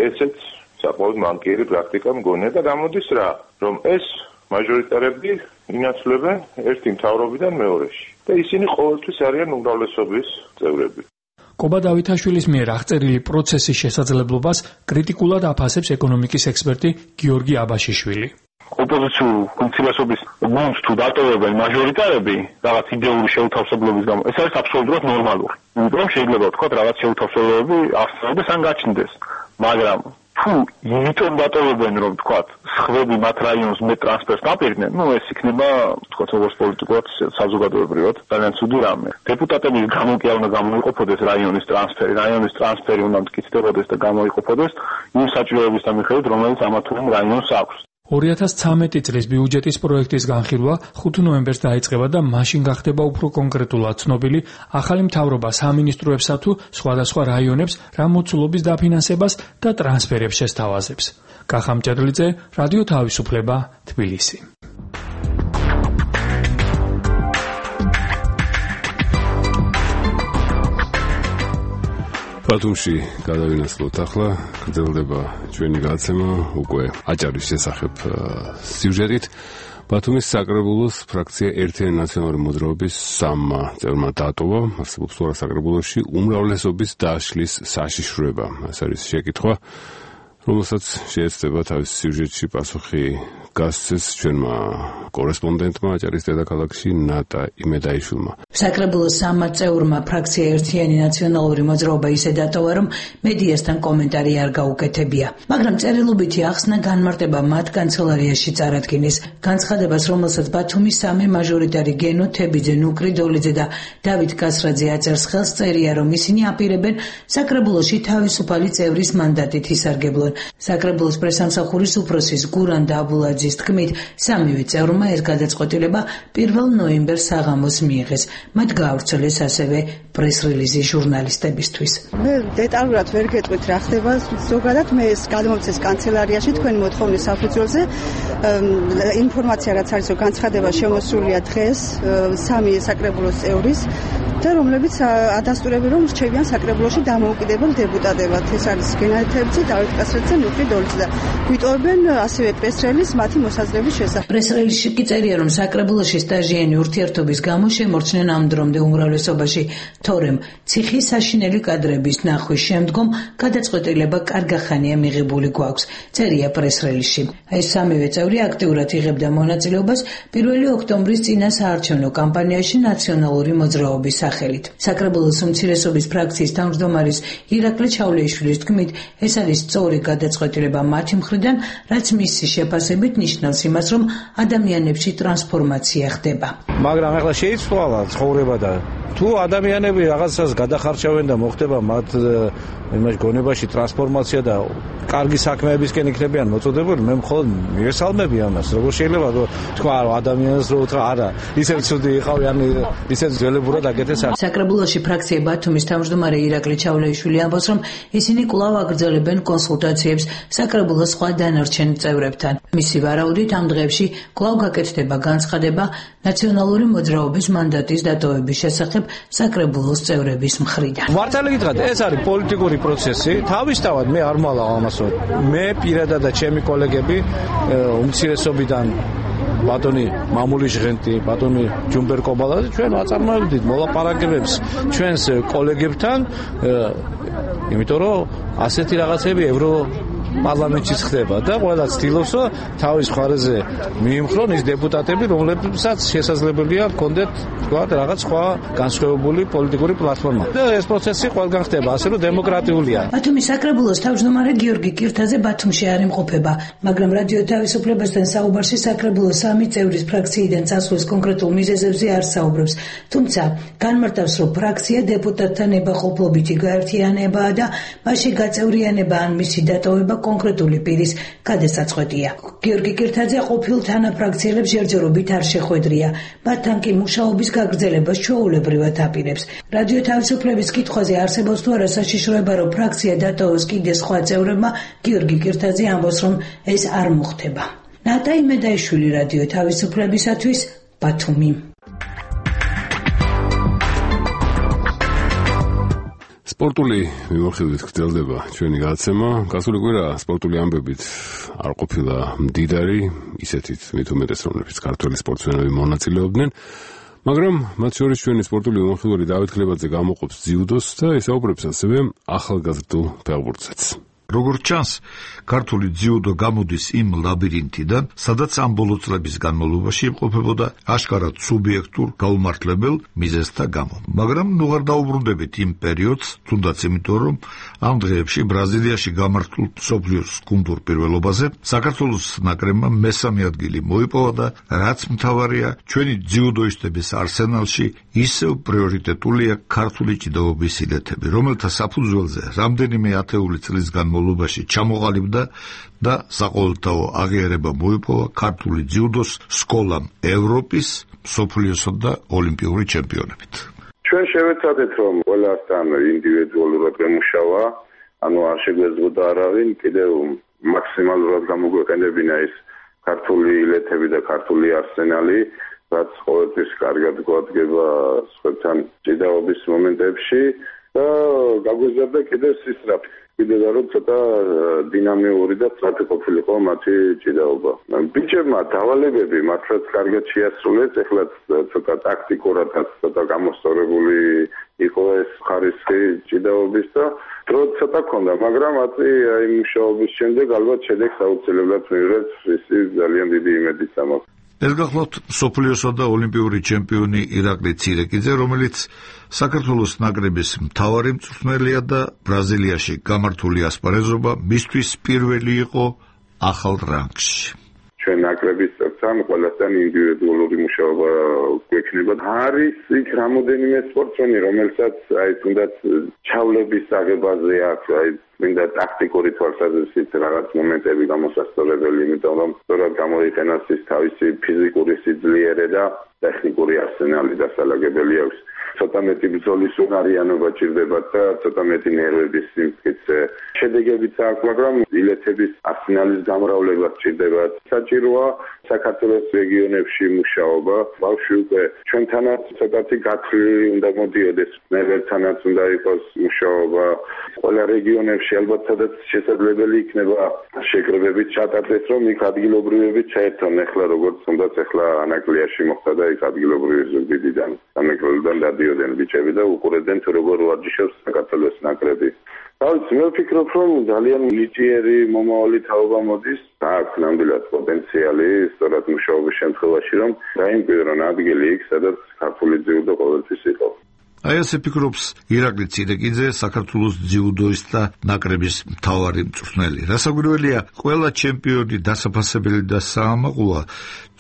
ესეც საკმაოდ მანკიერი პრაქტიკა მგონია და გამოდის რა, რომ ეს მაჟორიტარები ინაცვლებენ ერთი მთავრობიდან მეორეში და ისინი ყოველთვის არიან უმრავლესობის წევრები. კობა დავითაშვილის მიერ აღწერილი პროცესის შესაძლებლობას კრიტიკულად აფასებს ეკონომიკის ექსპერტი გიორგი აბაშიშვილი. ოპოზიციურ უმცირესობის გუნდს თუ დატოვებენ მაჟორიტარები რაღაც იდეური შეუთავსებლობის გამო, ეს არის აბსოლუტურად ნორმალური. იმიტომ რომ შეიძლება ვთქვათ რაღაც შეუთავსებლობები არსებობდეს ან გაჩნდეს. მაგრამ თუ იმიტომ დატოვებენ რომ თქვათ სხვები მათ რაიონს მე ტრანსფერს დაპირდნენ, ეს იქნება თქვათ როგორც პოლიტიკურად საზოგადოებრივად ძალიან ცუდი რამე. დეპუტატების გამო კი არ უნდა გამოიყოფოდეს რაიონის ტრანსფერი უნდა მტკიცდებოდეს და გამოიყოფოდეს იმ საჭიროებისთან მიხედვით, რომელიც ამა თუ იმ რაიონს აქვს. 2013 წლის ბიუჯეტის პროექტის განხილვა 5 ნოემბერს დაიწყება და მაშინ გახდება უფრო კონკრეტულად ცნობილი ახალი მთავრობა სამინისტროებსა თუ სხვადასხვა რაიონებს რა მოცულობის დაფინანსებას და ტრანსფერებს შესთავაზებს. კახა მჭედლიძე, რადიო თავისუფლება, თბილისი. ბათუმში გადავინაცვლოთ ახლა, გრძელდება ჩვენი გადაცემა უკვე აჭარის შესახებ სიუჟეტით. ბათუმის საკრებულოს ფრაქცია ერთიანი ნაციონალური მოძრაობის 3 წევრმა დაატოვა, არსებობს თუ არა საკრებულოში უმრავლესობის დაშლის საშიშროება. ეს არის შეკითხვა, რომელსაც შეეცდება თავის სიუჟეტში პასუხი გასცეს ჩვენმა კორესპონდენტმა აჭარის დედაქალაქში ნატა იმედაიშვილმა. საკრებულოს 3 წევრმა ფრაქცია ერთიანი ნაციონალური მოძრაობა ისე დატოვა, რომ მედიასთან კომენტარი არ გაუკეთებია. მაგრამ წერილობითი ახსნა განმარტება მათ კანცელარიაში წარადგინეს. განცხადებას, რომელსაც ბათუმის 3 მაჟორიტარი გენო თებიძე, ნუკრი დოლიძე და დავით კასრაძე აწერს ხელს, წერია, რომ ისინი აპირებენ საკრებულოში თავისუფალი წევრის მანდატით ისარგებლონ. საკრებულოს პრესამსახურის უფროსის გურან დაბულაძის თქმით, 3 წევრმა ეს გადაწყვეტილება 1 ნოემბერს საღამოს მიიღეს. მათ გაავრცელეს ასევე პრეს-რელიზი ჟურნალისტებისთვის. მე დეტალურად ვერ გეტყვით რა ხდება ზოგადად, მე ეს გადმოვცეს კანცელარიაში თქვენი მოთხოვნის საფუძველზე. ინფორმაცია რაც არის, რომ განცხადება შემოსულია დღეს 3 საკრებულოს წევრის და რომლებიც ადასტურებენ, რომ რჩებიან საკრებულოში დამოუკიდებელ დეპუტატებად. ეს არის გენადი თებიძე, დავით კასრაძე, ნუკრი დოლიძე და გვიტოვებენ ასევე პრეს-რელიზს მათი მოსაზრების შესახებ. პრეს-რელიზში კი წერია, რომ საკრებულოში სტაჟიანი ურთიერთობის გამო შემორჩნენ ამ დრომდე უმრავლესობაში, თორემ ციხის საშინელი კადრების ნახვის შემდგომ გადაწყვეტილება კარგახანია მიღებული გვაქვს, წერია პრეს-რელიზში. ეს 3 წევრი აქტიურად იღებდა მონაწილეობას 1 ოქტომბრის წინა საარჩევნო კამპანიაში ნაციონალური მოძრაობის სახელით. საკრებულოს უმცირესობის ფრაქციის თავმჯდომარის ირაკლი ჩავლეიშვილის თქმით, ეს არის სწორი გადაწყვეტილება მათი მხრიდან, რაც მისი შეფასებით ნიშნავს იმას, რომ ადამიანებში ტრანსფორმაცია ხდება. მაგრამ ახლა შეიცვალა ცხოვრება და თუ ადამიანები რაღაცას გადახარჩევენ და მოხდება მათ იმაში გონებაში ტრანსფორმაცია და კარგი საქმეებისკენ იქნებიან მოწოდებული, მე მხოლოდ მივესალმები ამას. როგორ შეიძლება თქვა ადამიანს რომ უთხრა არა, ისევ ცუდი იყავი, ან ისევ ძველებურად აკეთეს. საკრებულოში ფრაქცია ბათუმის თავმჯდომარე ირაკლი ჩავლეიშვილი ამბობს, რომ ისინი კვლავ აგრძელებენ კონსულტაციებს საკრებულოს სხვა დანარჩენ წევრებთან. მისი ვარაუდით ამ დღეებში კვლავ გაკეთდება განცხადება ნაციონალური მოძრაობის მანდატის დატოვების შესახებ საკრებულოს წევრების მხრიდან. მართალი გითხრათ, ეს არის პოლიტიკური პროცესი. თავისთავად მე არ მალავ ამას, რომ მე პირადად და ჩემი კოლეგები უმცირესობიდან ბატონი მამული ჟღენტი, ბატონი ჯუმბერ კობალაძე ჩვენ აწარმოებდით მოლაპარაკებებს ჩვენს კოლეგებთან, იმიტომ რომ ასეთი რაღაცები ევროპარლამენტშიც ხდება და ყველა ცდილობს რომ თავის მხარეზე მიიმხრონ ის დეპუტატები, რომლებსაც შესაძლებელია ჰქონდეთ თქვა რაღაც სხვა განსხვავებული პოლიტიკური პლატფორმა. და ეს პროცესი ყველგან ხდება, ასე რომ დემოკრატიულია. ბათუმის საკრებულოს თავმჯდომარე გიორგი კირთაძე ბათუმში არ იმყოფება, მაგრამ რადიო თავისუფლებასთან საუბარში საკრებულოს 3 წევრის ფრაქციიდან წასვლის კონკრეტულ მიზეზებზე არ საუბრობს. თუმცა განმარტავს, რომ ფრაქცია დეპუტატთან ნებაყოფლობითი გაერთიანებაა და მასში გაწევრიანება ან მისი დატოვება კონკრეტული პირის გადასაწყვეტია. გიორგი კირთაძე ყოფილ თანაფრაქციელებს ჯერჯერობით არ შეხვედრია, მათთან კი მუშაობის გაგრძელებას ჩვეულებრივად აპირებს. რადიო თავისუფლების კითხვაზე არსებობს თუ არა საშიშროება, რომ ფრაქცია დატოვოს კიდე სხვა წევრებმა, გიორგი კირთაძე ამბობს, რომ ეს არ მოხდება. ნატა იმედაიშვილი, რადიო თავისუფლებისათვის, ბათუმი. სპორტული მიმოხილვით გრძელდება ჩვენი გადაცემა. გასული კვირა სპორტული ამბებით არ ყოფილა მდიდარი, ისეთით მით უმეტეს, რომლებიც ქართველი სპორტსმენები მონაწილეობდნენ. მაგრამ მათ შორის ჩვენი სპორტული მიმოხილველი დავით ქლებაძე გამოყოფს ძიუდოს და ესაუბრებს ასევე ახალგაზრდულ ფეხბურთსაც. როგორც ჩანს, ქართული ძიუდო გამოდის იმ ლაბირინთიდან, სადაც ამ ბოლო წლების განმავლობაში იმყოფებოდა აშკარად სუბიექტურ გაუმართლებელ მიზეზთა გამო. მაგრამ ნუ არ დაუბრუნდებით იმ პერიოდს, თუნდაც იმიტომ, რომ ამ დღეებში ბრაზილიაში გამართულ მსოფლიოს გუნდურ პირველობაზე საქართველოს ნაკრებმა მესამე ადგილი მოიპოვა და რაც მთავარია, ჩვენი ძიუდოისტების არსენალში ისევ პრიორიტეტულია ქართული ჭიდაობის ილეთები, რომელთა საფუძველზე რამდენიმე ათეული წლის განმავლობაში ჩამოყალიბდა და საყოველთაო აღიარება მოიპოვა ქართული ძიუდოს სკოლამ ევროპის, მსოფლიოსა და ოლიმპიური ჩემპიონებით. ჩვენ შევეცადეთ, რომ ყველასთან ინდივიდუალურად გამუშავა, ანუ არ შეგვეძლო არავინ კიდევ მაქსიმალურად გამოგვეყენებინა ეს ქართული ილეთები და ქართული არსენალი, რაც ყოველთვის კარგად გვადგება სხვებთან ჭიდაობის მომენტებში და გაგვეზარდა კიდევ სისწრაფე. კიდევ რომ ცოტა დინამიური და სწრაფი ყოფილიყო მათი ჭიდაობა. ბიჭებმა დავალებები მართლაც კარგად შეასრულეს, ეხლა ცოტა ტაქტიკურად ცოტა გამოსწორებული იყო ეს ხარისხი ჭიდაობის და დრო ცოტა ქონდა, მაგრამ აწი აი მუშაობის შემდეგ ალბათ შედეგს აუცილებლად მიიღებს, ისი ძალიან დიდი იმედით ამაქვს. ეს გახლავთ მსოფლიოსა და ოლიმპიური ჩემპიონი ირაკლი ცირეკიძე, რომელიც საქართველოს ნაკრების მთავარი მწვრთნელია და ბრაზილიაში გამართული ასპარეზობა მისთვის პირველი იყო ახალ რანგში. ჩვენ ნაკრების წევრთან ყველასთან ინდივიდუალური მუშაობა გვექნება. არის იქ რამოდენიმე სპორტსმენი, რომელსაც აი თუნდაც ჩავლების აღებაზე აქვს, აი მინდა ტაქტიკური თვალსაზრისით რაღაც მომენტები გამოსასწორებელი, იმიტომ რომ სწორად გამოიყენოს ის თავისი ფიზიკური სიძლიერე და ტექნიკური არსენალი დასალაგებელი აქვს. ცოტა მეტი ბრძოლის უნარიანობა ჭირდება და ცოტა მეტი ნერვების სიმტკიცე. შედეგებიც აქვს, მაგრამ ილეთების არსენალის გამრავლება ჭირდება. საჭიროა საქართველოს რეგიონებში მუშაობა. ბავშვი უკვე ჩვენთანაც ცოტათი გათვლილი უნდა მოდიოდეს, ნებერთანაც უნდა იყოს მუშაობა. ყველა რეგიონებში ალბათ სადაც შესაძლებელი იქნება შეკრებებით ჩატარდეს, რომ იქ ადგილობრივები ჩაერთონ. ეხლა როგორც თუნდაც ეხლა ანაკლიაში მოხდა და იქ ადგილობრივი ზუგდიდიდან სამეგრელოდან დადიოდნენ ბიჭები და უყურებდნენ თუ როგორ ვარჯიშობს საქართველოს ნაკრები. თავის მე ვფიქრობ, რომ ძალიან ნიჭიერი მომავალი თაობა მოდის, აქვს ნამდვილად პოტენციალი, სწორად მუშაობის შემთხვევაში, რომ დაიმკვიდრონ ადგილი იქ, სადაც ქართული ძიუდო ყოველთვის იყო. აი ასე ფიქრობს ირაკლი ცირეკიძე, საქართველოს ძიუდოისტთა ნაკრების მთავარი მწვრთნელი. რასაკვირველია, ყველა ჩემპიონი დასაფასებელი და საამაყოა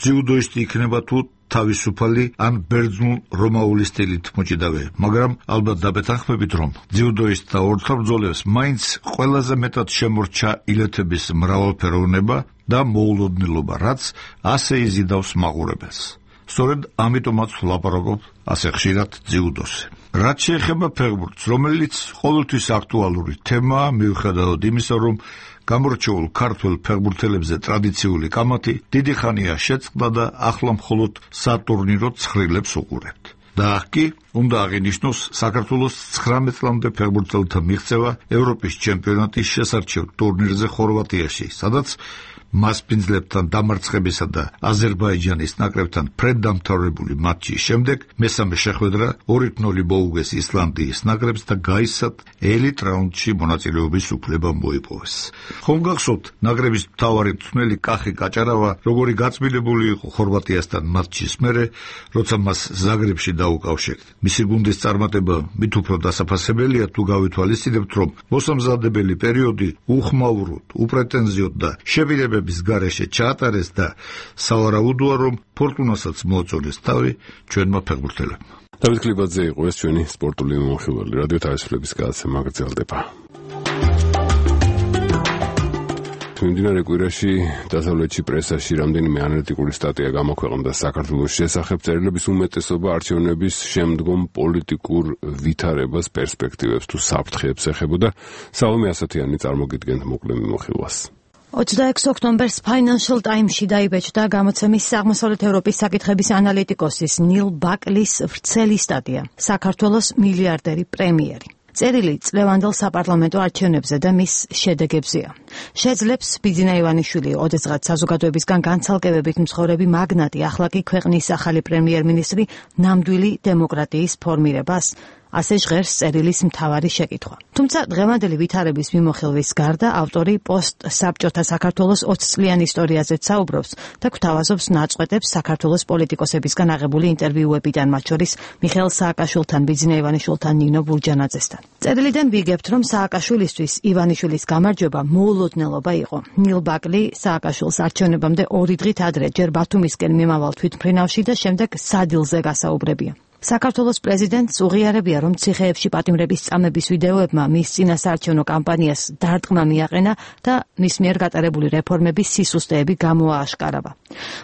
ძიუდოისტი იქნება თუ თავისუფალი ან ბერძნულ რომაული სტილით მოჭიდავე, მაგრამ ალბათ დაბეთანხმებით, რომ ძიუდოისტთა ორთაბრძოლებს მაინც ყველაზე მეტად შემორჩა ილეთების მრავალფეროვნება და მოულოდნელობა, რაც ასე იზიდავს მაყურებელს. სწორედ ამიტომაც ვლაპარაკობ ასე ხშირად ძიუდოზე. რაც შეეხება ფეხბურთს, რომელიც ყოველთვის აქტუალური თემაა, მიუხედავად იმისა, რომ გამორჩეულ ქართველ ფეხბურთელებზე ტრადიციული კამათი დიდი ხანია შეწყდა და ახლა მხოლოდ სატურნირო ცხრილებს უყურებთ. და აქ კი უნდა აღინიშნოს საქართველოს 19 წლამდე ფეხბურთელთა მიღწევა ევროპის ჩემპიონატის შესარჩევ ტურნირზე ხორვატიაში, სადაც მასპინძლებთან დამარცხებისა და აზერბაიჯანის ნაკრებთან ფრენდამთავრებული მატჩის შემდეგ მესამე შეხვედრა 2-0 მოუგეს ისლანდიის ნაკრებს და გაისად ელიტ რაუნდში მონაწილეობის უფლება მოიპოვეს. ხომ გახსოვთ, ნაკრების მთავარი მწვრთნელი კახი კაჭარავა როგორი გაწმილებული იყო ხორვატიასთან მატჩის მერე, როცა მას ზაგრებში დაუკავშირდა. მისი გუნდის წარმატება მით უფრო დასაფასებელია თუ გავითვალისწინებთ, რომ მოსამზადებელი პერიოდი უხმაუროდ, უპრეტენზიოდ და შებინებების გარეშე ჩაატარეს და სავარაუდოა, რომ ფორტუნასაც მოაწონეს თავი ჩვენმა ფეხბურთელებმა. დავით კლიბაძე იყო ეს ჩვენი სპორტული მომხივალი. რადიო თავისუფლების გადაცემა გრძელდება. მიმდინარე კვირაში დასავლეთში პრესაში რამდენიმე ანალიტიკური სტატია გამოქვეყნდა საქართველოს შესახებ. წერილების უმეტესობა არჩევნების შემდგომ პოლიტიკურ ვითარებას, პერსპექტივებს თუ საფრთხეებს ეხებოდა. სალომე ასათიანი წარმოგიდგენთ მოკლე მიმოხილვას. 26 ოქტომბერს Financial Times-ში დაიბეჭდა გამოცემის აღმოსავლეთ ევროპის საკითხების ანალიტიკოსის ნილ ბაკლის ვრცელი სტატია საქართველოს მილიარდერი პრემიერი. წერილი წლევანდელ საპარლამენტო არჩევნებზე და მის შედეგებზეა. შეძლებს ბიძინა ივანიშვილი ოდესღაც საზოგადოებისგან განცალკევებით მცხოვრები მაგნატი ახლა კი ქვეყნის ახალი პრემიერ-მინისტრი ნამდვილი დემოკრატიის ფორმირებას? ასე ჟღერს წერილის მთავარი შეკითხვა. თუმცა დღევანდელი ვითარების მიმოხილვის გარდა ავტორი პოსტ-საბჭოთა საქართველოს 20 წლიან ისტორიაზეც საუბრობს და გვთავაზობს ნაწყვეტებს საქართველოს პოლიტიკოსებისგან აღებული ინტერვიუებიდან, მათ შორის მიხეილ სააკაშვილთან, ბიძინა ივანიშვილთან, ნინო ბურჯანაძესთან. წერილიდან ვიგებთ, რომ სააკაშვილისთვის ივანიშვილის გამარჯვება მოულოდნელობა იყო. ნილ ბაკლი სააკაშვილს არჩევნებამდე 2 დღით ადრე ჯერ ბათუმისკენ მიმავალ თვითმფრინავში და შემდეგ სადილზე გასაუბრებია. საქართველოს პრეზიდენტს უღიარებია, რომ ციხეებში პატიმრების წამების ვიდეოებმა მის წინასაარჩევნო კამპანიას დარტყმა მიაყენა და მის მიერ გატარებული რეფორმების სისუსტეები გამოააშკარავა.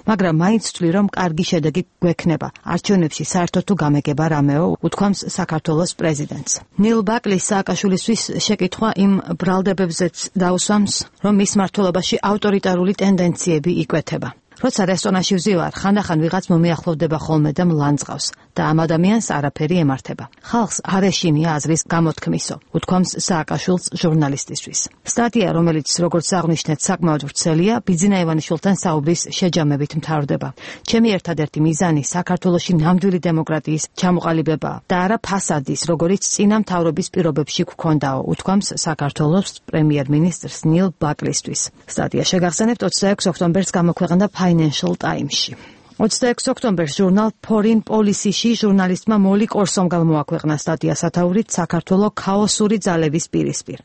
მაგრამ მაინც ვთვლი, რომ კარგი შედეგი გვექნება. არჩევნებში საერთოდ თუ გამეგება რამეო, უთქვამს საქართველოს პრეზიდენტს. ნილ ბაკლის სააკაშვილისთვის შეკითხვა იმ ბრალდებებზეც დაუსვამს, რომ მის მმართველობაში ავტორიტარული ტენდენციები იკვეთება. როცა რესტორანში ვზივარ, ხანდახან ვიღაც მომიახლოვდება ხოლმე და მლანძღავს და ამ ადამიანს არაფერი ემართება. ხალხს არ ეშინია აზრის გამოთქმისო, უთქვამს სააკაშვილს ჟურნალისტისთვის. სტატია, რომელიც როგორც აღნიშნეთ, საკმაოდ ვრცელია, ბიძინა ივანიშვილთან საუბრის შეჯამებით მთავრდება. ჩემი ერთადერთი მიზანი საქართველოში ნამდვილი დემოკრატიის ჩამოყალიბებაა და არა ფასადის, როგორც წინა მთავრობის პირობებში გვქონდაო, უთქვამს საქართველოს პრემიერ-მინისტრს ნილ ბაკლისთვის. სტატია შეგახსენებთ 26 ოქტომბერს გამოქვეყნდა Financial Times-ში. 26 ოქტომბერს ჟურნალ Foreign Policy-ში ჟურნალისტმა მოლი კორსომ გამოაქვეყნა სტატია სათაურით საქართველოს ქაოსური ძალების პირისპირ.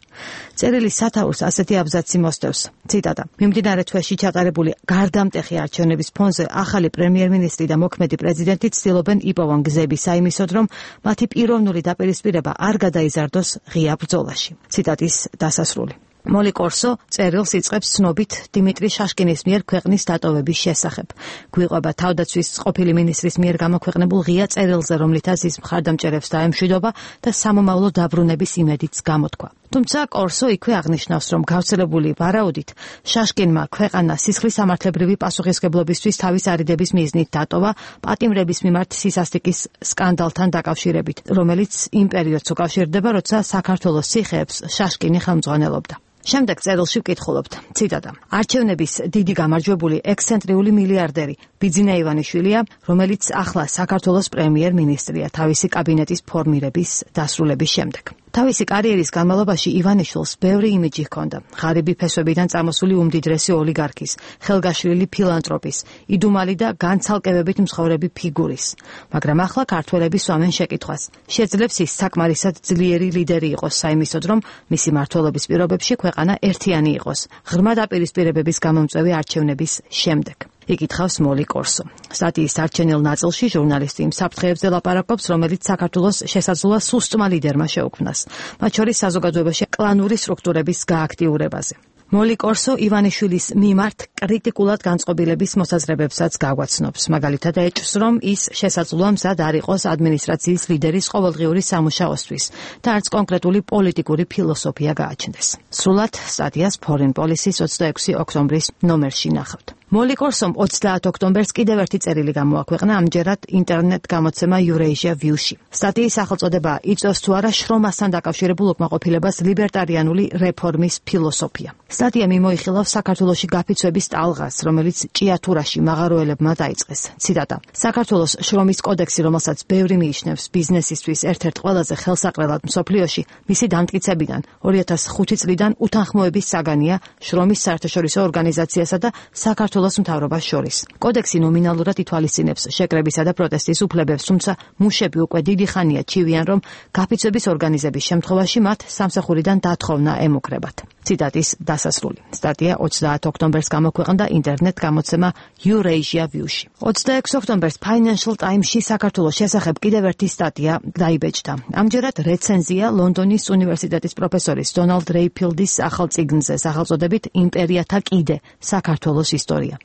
წერილის სათაურს ასეთი აბზაცი მოსდევს. ციტატა: მიმდინარე თვეში ჩატარებული გარდამტეხი არჩევნების ფონზე ახალი პრემიერ-მინისტრი და მოქმედი პრეზიდენტი ცდილობენ იპოვონ გზები საიმისოდ, რომ მათი პიროვნული დაპირისპირება არ გადაიზარდოს ღია ბრძოლაში. ციტატის დასასრული. მოლი კორსო წერილს იწყებს ცნობით დიმიტრი შაშკინის მიერ ქვეყნის დატოვების შესახებ. გვიყვება თავდაცვის ყოფილი მინისტრის მიერ გამოქვეყნებულ ღია წერილზე, რომლითაც ის მხარდამჭერებს დაემშვიდობა და სამომავლო დაბრუნების იმედიც გამოთქვა. თუმცა კორსო იქვე აღნიშნავს, რომ გავრცელებული ვარაუდით შაშკინმა ქვეყანა სისხლის სამართლებრივი პასუხისმგებლობისთვის თავის არიდების მიზნით დატოვა პატიმრების მიმართ სისასტიკის სკანდალთან დაკავშირებით, რომელიც იმ პერიოდს უკავშირდება, როცა საქართველოს ციხეებს შაშკინი ხელმძღვანელობდა. შემდეგ წერილში ვკითხულობთ, ციტატა: არჩევნების დიდი გამარჯვებული ექსცენტრიული მილიარდერი ბიძინა ივანიშვილია, რომელიც ახლა საქართველოს პრემიერ-მინისტრია თავისი კაბინეტის ფორმირების დასრულების შემდეგ. თავისი კარიერის განმავლობაში ივანიშვილს ბევრი იმიჯი ჰქონდა: ღარიბი ფესვებიდან წამოსული უმდიდრესი ოლიგარქის, ხელგაშლილი ფილანტროპის, იდუმალი და განცალკევებით მსხოვრები ფიგურის. მაგრამ ახლა ქართველები სვამენ შეკითხვას: შეძლებს ის საკმარისად ძლიერი ლიდერი იყოს საიმისოდ, რომ მისი მმართველობის პირობებში ქვეყანა ერთიანი იყოს, ღრმა დაპირისპირებების გამომწვევი არჩევნების შემდეგ. იკითხავს მოლი კორსო. სტატიის არჩენილ ნაწილში ჟურნალისტი იმ საფრთხეებზე ლაპარაკობს, რომელიც საქართველოს შესაძლოა სუსტმა ლიდერმა შეუქმნას, მათ შორის საზოგადოებაში კლანური სტრუქტურების გააქტიურებაზე. მოლი კორსო ივანიშვილის მიმართ კრიტიკულად განწყობილების მოსაზრებებსაც გაგვაცნობს. მაგალითად ეჭვს, რომ ის შესაძლოა მზად არ იყოს ადმინისტრაციის ლიდერის ყოველდღიური სამუშაოსთვის და არც კონკრეტული პოლიტიკური ფილოსოფია გააჩნდეს. სრულად სტატიას Foreign Policy-ს 26 ოქტომბრის ნომერში ნახავთ. მოლი კორსომ 30 ოქტომბერს კიდევ ერთი წერილი გამოაქვეყნა, ამჯერად ინტერნეტ გამოცემა Eurasia View-ში. სტატიის სახელწოდება იწვევს თუ არა შრომასთან დაკავშირებულ უკმაყოფილებას ლიბერტარიანული რეფორმის ფილოსოფია. სტატია მიმოიხილავს საქართველოში გაფიცვების ტალღას, რომელიც ჭიათურაში მაღაროელებმა დაიწყეს. ციტატა: საქართველოს შრომის კოდექსი, რომელსაც ბევრი მიიჩნევს ბიზნესისთვის ერთ-ერთ ყველაზე ხელსაყრელად მსოფლიოში, მისი დამტკიცებიდან 2005 წლიდან უთანხმოების საგანია შრომის საერთაშორისო ორგანიზაციასა და საქართველოს მთავრობას შორის. კოდექსი ნომინალურად ითვალისწინებს შეკრებისა და პროტესტის უფლებებს, თუმცა მუშები უკვე დიდი ხანია ჩივიან, რომ გაფიცვების ორგანიზების შემთხვევაში მათ სამსახურიდან დათხოვნა ემუქრებათ. ციტატის დასასრული. სტატია 30 ოქტომბერს გამოქვეყნდა ინტერნეტ გამოცემა Eurasia View-ში. 26 ოქტომბერს Financial Times-ში საქართველოს შესახებ კიდევ ერთი სტატია დაიბეჭდა. ამჯერად რეცენზია ლონდონის უნივერსიტეტის პროფესორის დონალდ რეიფილდის ახალ წიგნზე, სახელწოდებით „იმპერიათა კიდე საქართველოს ისტორია“.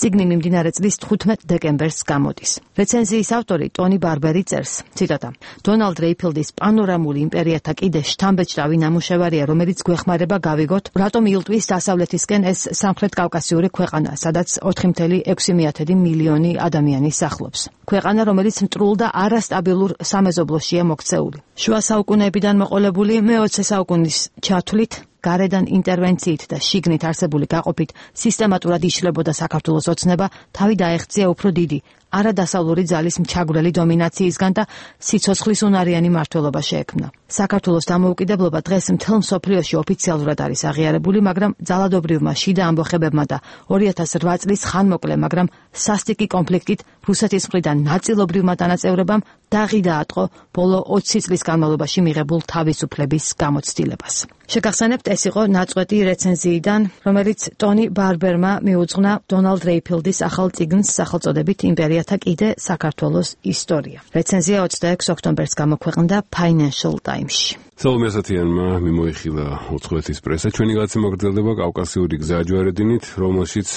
წიგნი მიმდინარე წლის 15 დეკემბერს გამოდის. რეცენზიის ავტორი ტონი ბარბერი წერს, ციტატა: დონალდ რეიფილდის პანორამული იმპერიათა კიდე შთამბეჭდავი ნამუშევარია, რომელიც გვეხმარება გავიგოთ, რატომ ილტვის დასავლეთისკენ ეს სამხრეთ კავკასიური ქვეყანა, სადაც 4,6 მილიონი ადამიანი სახლობს. ქვეყანა, რომელიც მტრულ და არასტაბილურ სამეზობლოშია მოქცეული. შუა საუკუნეებიდან მოყოლებული მე-20 საუკუნის ჩათვლით გარედან ინტერვენციით და შიგნით არსებული გაყოფით სისტემატურად იშლებოდა საქართველოს ოცნება, თავი დაეღწია უფრო დიდი არადასავლური ძალის მჩაგვრელი დომინაციისგან და სიცოცხლის უნარიანი მმართველობა შეექმნა. საქართველოს დამოუკიდებლობა დღეს მთელ მსოფლიოში ოფიციალურად არის აღიარებული, მაგრამ ძალადობრივმა შიდა ამბოხებებმა და 2008 წლის ხანმოკლე, მაგრამ სასტიკი კონფლიქტით რუსეთის მხრიდან ნაწილობრივმა დანაწევრებამ დაღი დაატყო ბოლო 20 წლის განმავლობაში მიღებულ თავისუფლების გამოცდილებას. შეგახსენებთ, ეს იყო ნაწყვეტი რეცენზიიდან, რომელიც ტონი ბარბერმა მიუძღვნა დონალდ რეიფილდის ახალ წიგნს სახელწოდებით იმპერიათა კიდე საქართველოს ისტორია. რეცენზია 26 ოქტომბერს გამოქვეყნდა Financial Times-ში. სალომე ასათიანმა მიმოიხილა უცხოეთის პრესა. ჩვენი გაცემა გრძელდება კავკასიური გზაჯვარედინით, რომელშიც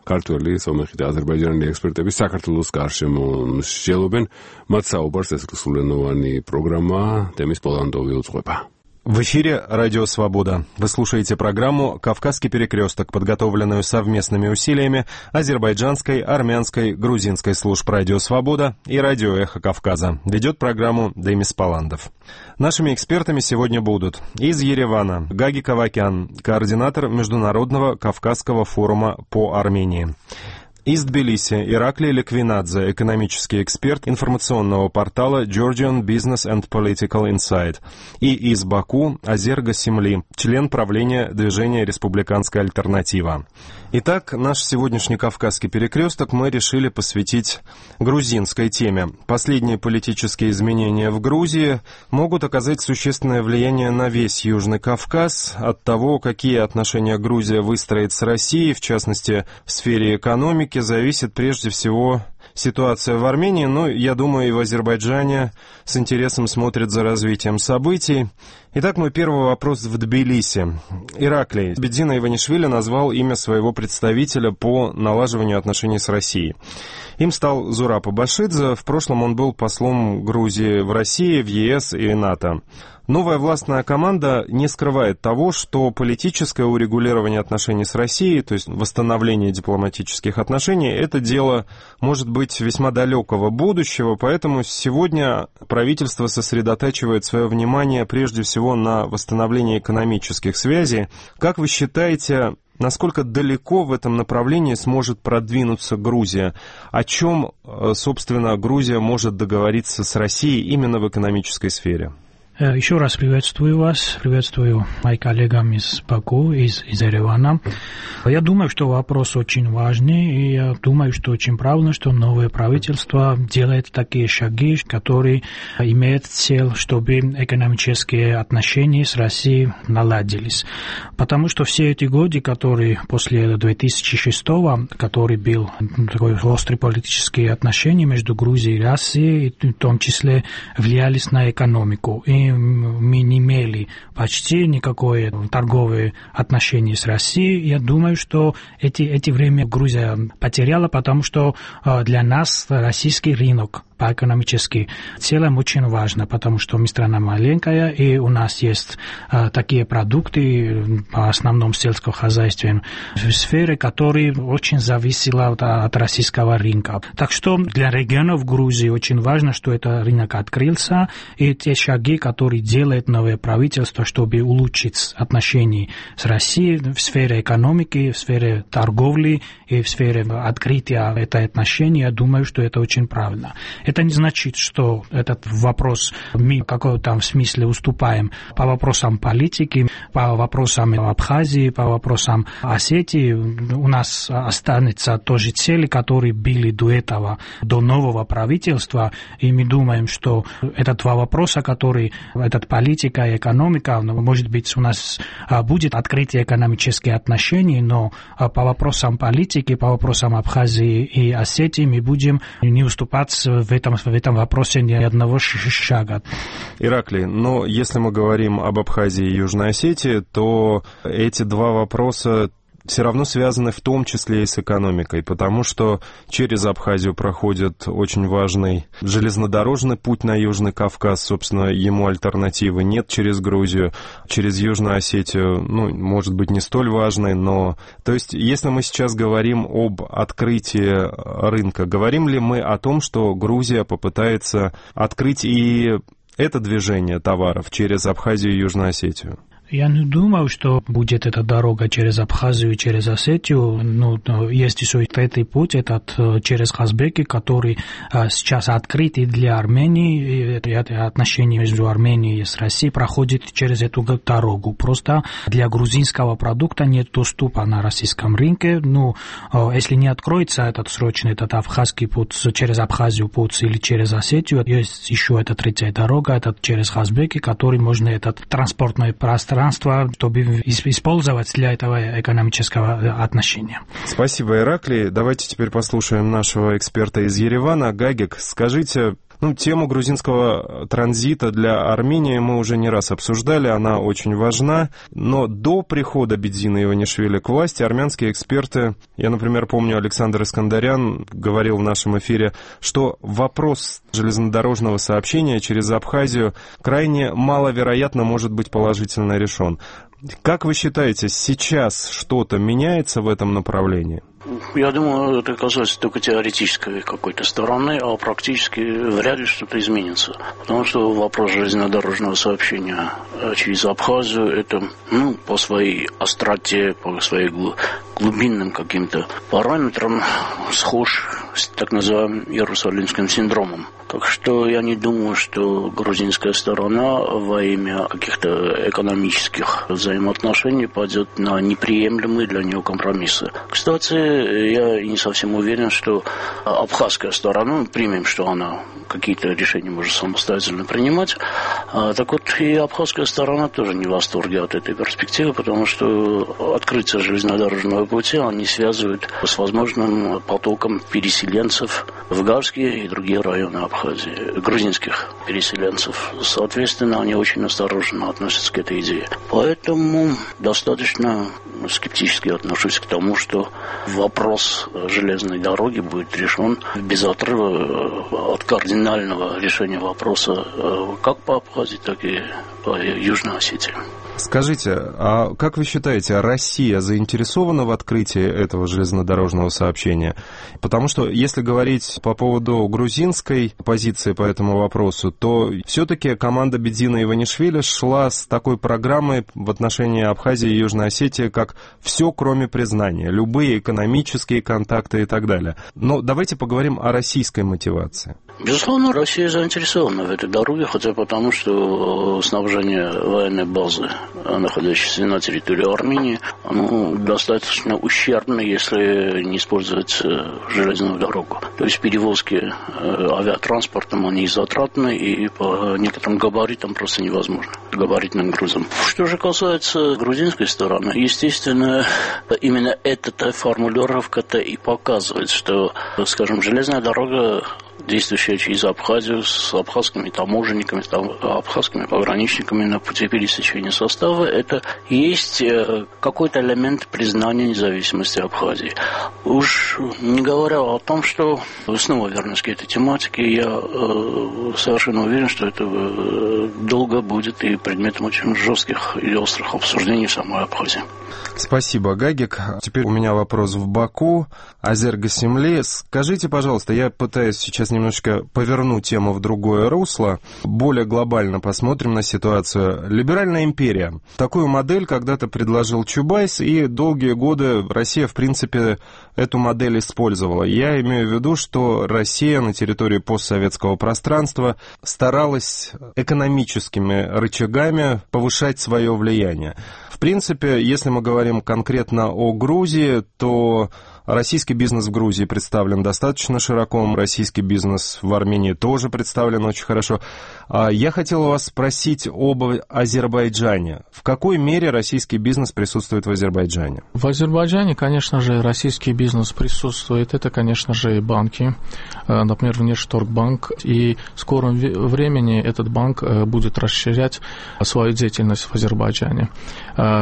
ქართველი, სომეხი და აზერბაიჯანელი ექსპერტები საქართველოს გარშემო მსჯელობენ. მათ საუბარს ეს რუსულენოვანი პროგრამა თემის პოლანდოვი უძღვება. В эфире «Радио Свобода». Вы слушаете программу «Кавказский перекресток», подготовленную совместными усилиями азербайджанской, армянской, грузинской служб «Радио Свобода» и «Радио Эхо Кавказа». Ведет программу Демис Паландов. Нашими экспертами сегодня будут из Еревана Гаги Кавакян, координатор Международного Кавказского форума по Армении. Из Тбилиси Ираклий Ликвинадзе, экономический эксперт информационного портала Georgian Business and Political Insight. И из Баку Азер Гасимли, член правления движения «Республиканская альтернатива». Итак, наш сегодняшний Кавказский перекресток мы решили посвятить грузинской теме. Последние политические изменения в Грузии могут оказать существенное влияние на весь Южный Кавказ. От того, какие отношения Грузия выстроит с Россией, в частности, в сфере экономики, зависит прежде всего ситуация в Армении, но, я думаю, и в Азербайджане с интересом смотрят за развитием событий. Итак, мой первый вопрос в Тбилиси. Ираклий, Бедзина Иванишвили назвал имя своего представителя по налаживанию отношений с Россией. Им стал Зураб Абашидзе. В прошлом он был послом Грузии в России, в ЕС и НАТО. Новая властная команда не скрывает того, что политическое урегулирование отношений с Россией, то есть восстановление дипломатических отношений, это дело может быть весьма далекого будущего, поэтому сегодня правительство сосредотачивает свое внимание прежде всего на восстановлении экономических связей. Как вы считаете, насколько далеко в этом направлении сможет продвинуться Грузия? О чем, собственно, Грузия может договориться с Россией именно в экономической сфере? Еще раз приветствую вас, приветствую моих коллег из Баку, из Еревана. Я думаю, что вопрос очень важный, и я думаю, что очень правильно, что новое правительство делает такие шаги, которые имеют цель, чтобы экономические отношения с Россией наладились. Потому что все эти годы, которые после 2006, который был такой острый политические отношения между Грузией и Россией, в том числе влиялись на экономику. И мы не имели почти никакое торговое отношение с Россией. Я думаю, что эти время Грузия потеряла, потому что для нас российский рынок по экономически целом очень важно, потому что мы страна маленькая, и у нас есть такие продукты, по основном сельскохозяйственной сфере, которые очень зависели от российского рынка. Так что для регионов Грузии очень важно, что этот рынок открылся, и те шаги, которые делает новое правительство, чтобы улучшить отношения с Россией в сфере экономики, в сфере торговли и в сфере открытия этих отношений, я думаю, что это очень правильно. Это не значит, что этот вопрос мы в каком-то смысле уступаем по вопросам политики, по вопросам Абхазии, по вопросам Осетии. У нас останется тоже цели, которые были до этого, до нового правительства, и мы думаем, что это два вопроса, которые, этот политика и экономика, может быть, у нас будет открытие экономических отношений, но по вопросам политики, по вопросам Абхазии и Осетии мы будем не уступать в этом вопросе ни одного шага. Ираклий, но если мы говорим об Абхазии и Южной Осетии, то эти два вопроса все равно связаны в том числе и с экономикой, потому что через Абхазию проходит очень важный железнодорожный путь на Южный Кавказ, собственно, ему альтернативы нет через Грузию, через Южную Осетию, может быть, не столь важный, но... То есть, если мы сейчас говорим об открытии рынка, говорим ли мы о том, что Грузия попытается открыть и это движение товаров через Абхазию и Южную Осетию? Я не думаю, что будет эта дорога через Абхазию и через Осетию. Есть еще третий путь, этот через Казбеки, который сейчас открыт и для Армении. Это отношения между Арменией и Россией проходит через эту дорогу. Просто для грузинского продукта нет доступа на российском рынке. Если не откроется этот срочный, этот абхазский путь через Абхазию путь или через Осетию, есть еще эта третья дорога, это через Казбеки, который можно это транспортное пространство, чтобы использовать для этого экономического отношения. Спасибо, Ираклий. Давайте теперь послушаем нашего эксперта из Еревана. Гагик, скажите, тему грузинского транзита для Армении мы уже не раз обсуждали, она очень важна, но до прихода Бедзина Иванишвили к власти армянские эксперты, я, например, помню, Александр Искандарян говорил в нашем эфире, что вопрос железнодорожного сообщения через Абхазию крайне маловероятно может быть положительно решен. Как вы считаете, сейчас что-то меняется в этом направлении? Я думаю, это касается только теоретической какой-то стороны, а практически вряд ли что-то изменится. Потому что вопрос железнодорожного сообщения через Абхазию, это по своей остроте, по своим глубинным каким-то параметрам схож с так называемым Иерусалимским синдромом. Так что я не думаю, что грузинская сторона во имя каких-то экономических взаимоотношений пойдет на неприемлемые для нее компромиссы. Кстати, я не совсем уверен, что абхазская сторона, примем, что она какие-то решения может самостоятельно принимать, так вот и абхазская сторона тоже не в восторге от этой перспективы, потому что открытие железнодорожного пути они связывают с возможным потоком переселенцев в Гарские и другие районы Абхазии, грузинских переселенцев. Соответственно, они очень осторожно относятся к этой идее. Поэтому достаточно скептически отношусь к тому, что вопрос железной дороги будет решен без отрыва от кардинального решения вопроса как по Абхазии, так и по Южной Осетии. Скажите, а как вы считаете, Россия заинтересована в открытии этого железнодорожного сообщения? Потому что, если говорить по поводу грузинской позиции по этому вопросу, то все-таки команда Бедзина Иванишвили шла с такой программой в отношении Абхазии и Южной Осетии, как «все, кроме признания», любые экономические контакты и так далее. Но давайте поговорим о российской мотивации. Безусловно, Россия заинтересована в этой дороге, хотя потому, что снабжение военной базы, находящейся на территории Армении, оно достаточно ущербно, если не использовать железную дорогу. То есть перевозки авиатранспортом, они затратны и по некоторым габаритам просто невозможно, габаритным грузом. Что же касается грузинской стороны, естественно, именно эта формулировка-то и показывает, что, скажем, железная дорога, действующая через Абхазию с абхазскими таможенниками, абхазскими пограничниками на пути пересечения состава, это есть какой-то элемент признания независимости Абхазии. Уж не говоря о том, что, снова вернусь к этой тематике, я совершенно уверен, что это долго будет и предметом очень жестких и острых обсуждений в самой Абхазии. Спасибо, Гагик. Теперь у меня вопрос в Баку. Азер Гасимли, скажите, пожалуйста, я пытаюсь сейчас немножечко повернуть тему в другое русло, более глобально посмотрим на ситуацию. Либеральная империя. Такую модель когда-то предложил Чубайс, и долгие годы Россия, в принципе, эту модель использовала. Я имею в виду, что Россия на территории постсоветского пространства старалась экономическими рычагами повышать свое влияние. В принципе, если мы говорим конкретно о Грузии, то российский бизнес в Грузии представлен достаточно широко, российский бизнес в Армении тоже представлен очень хорошо. Я хотел вас спросить об Азербайджане. В какой мере российский бизнес присутствует в Азербайджане? В Азербайджане, конечно же, российский бизнес присутствует. Это, конечно же, и банки, например, Внешторгбанк. И в скором времени этот банк будет расширять свою деятельность в Азербайджане.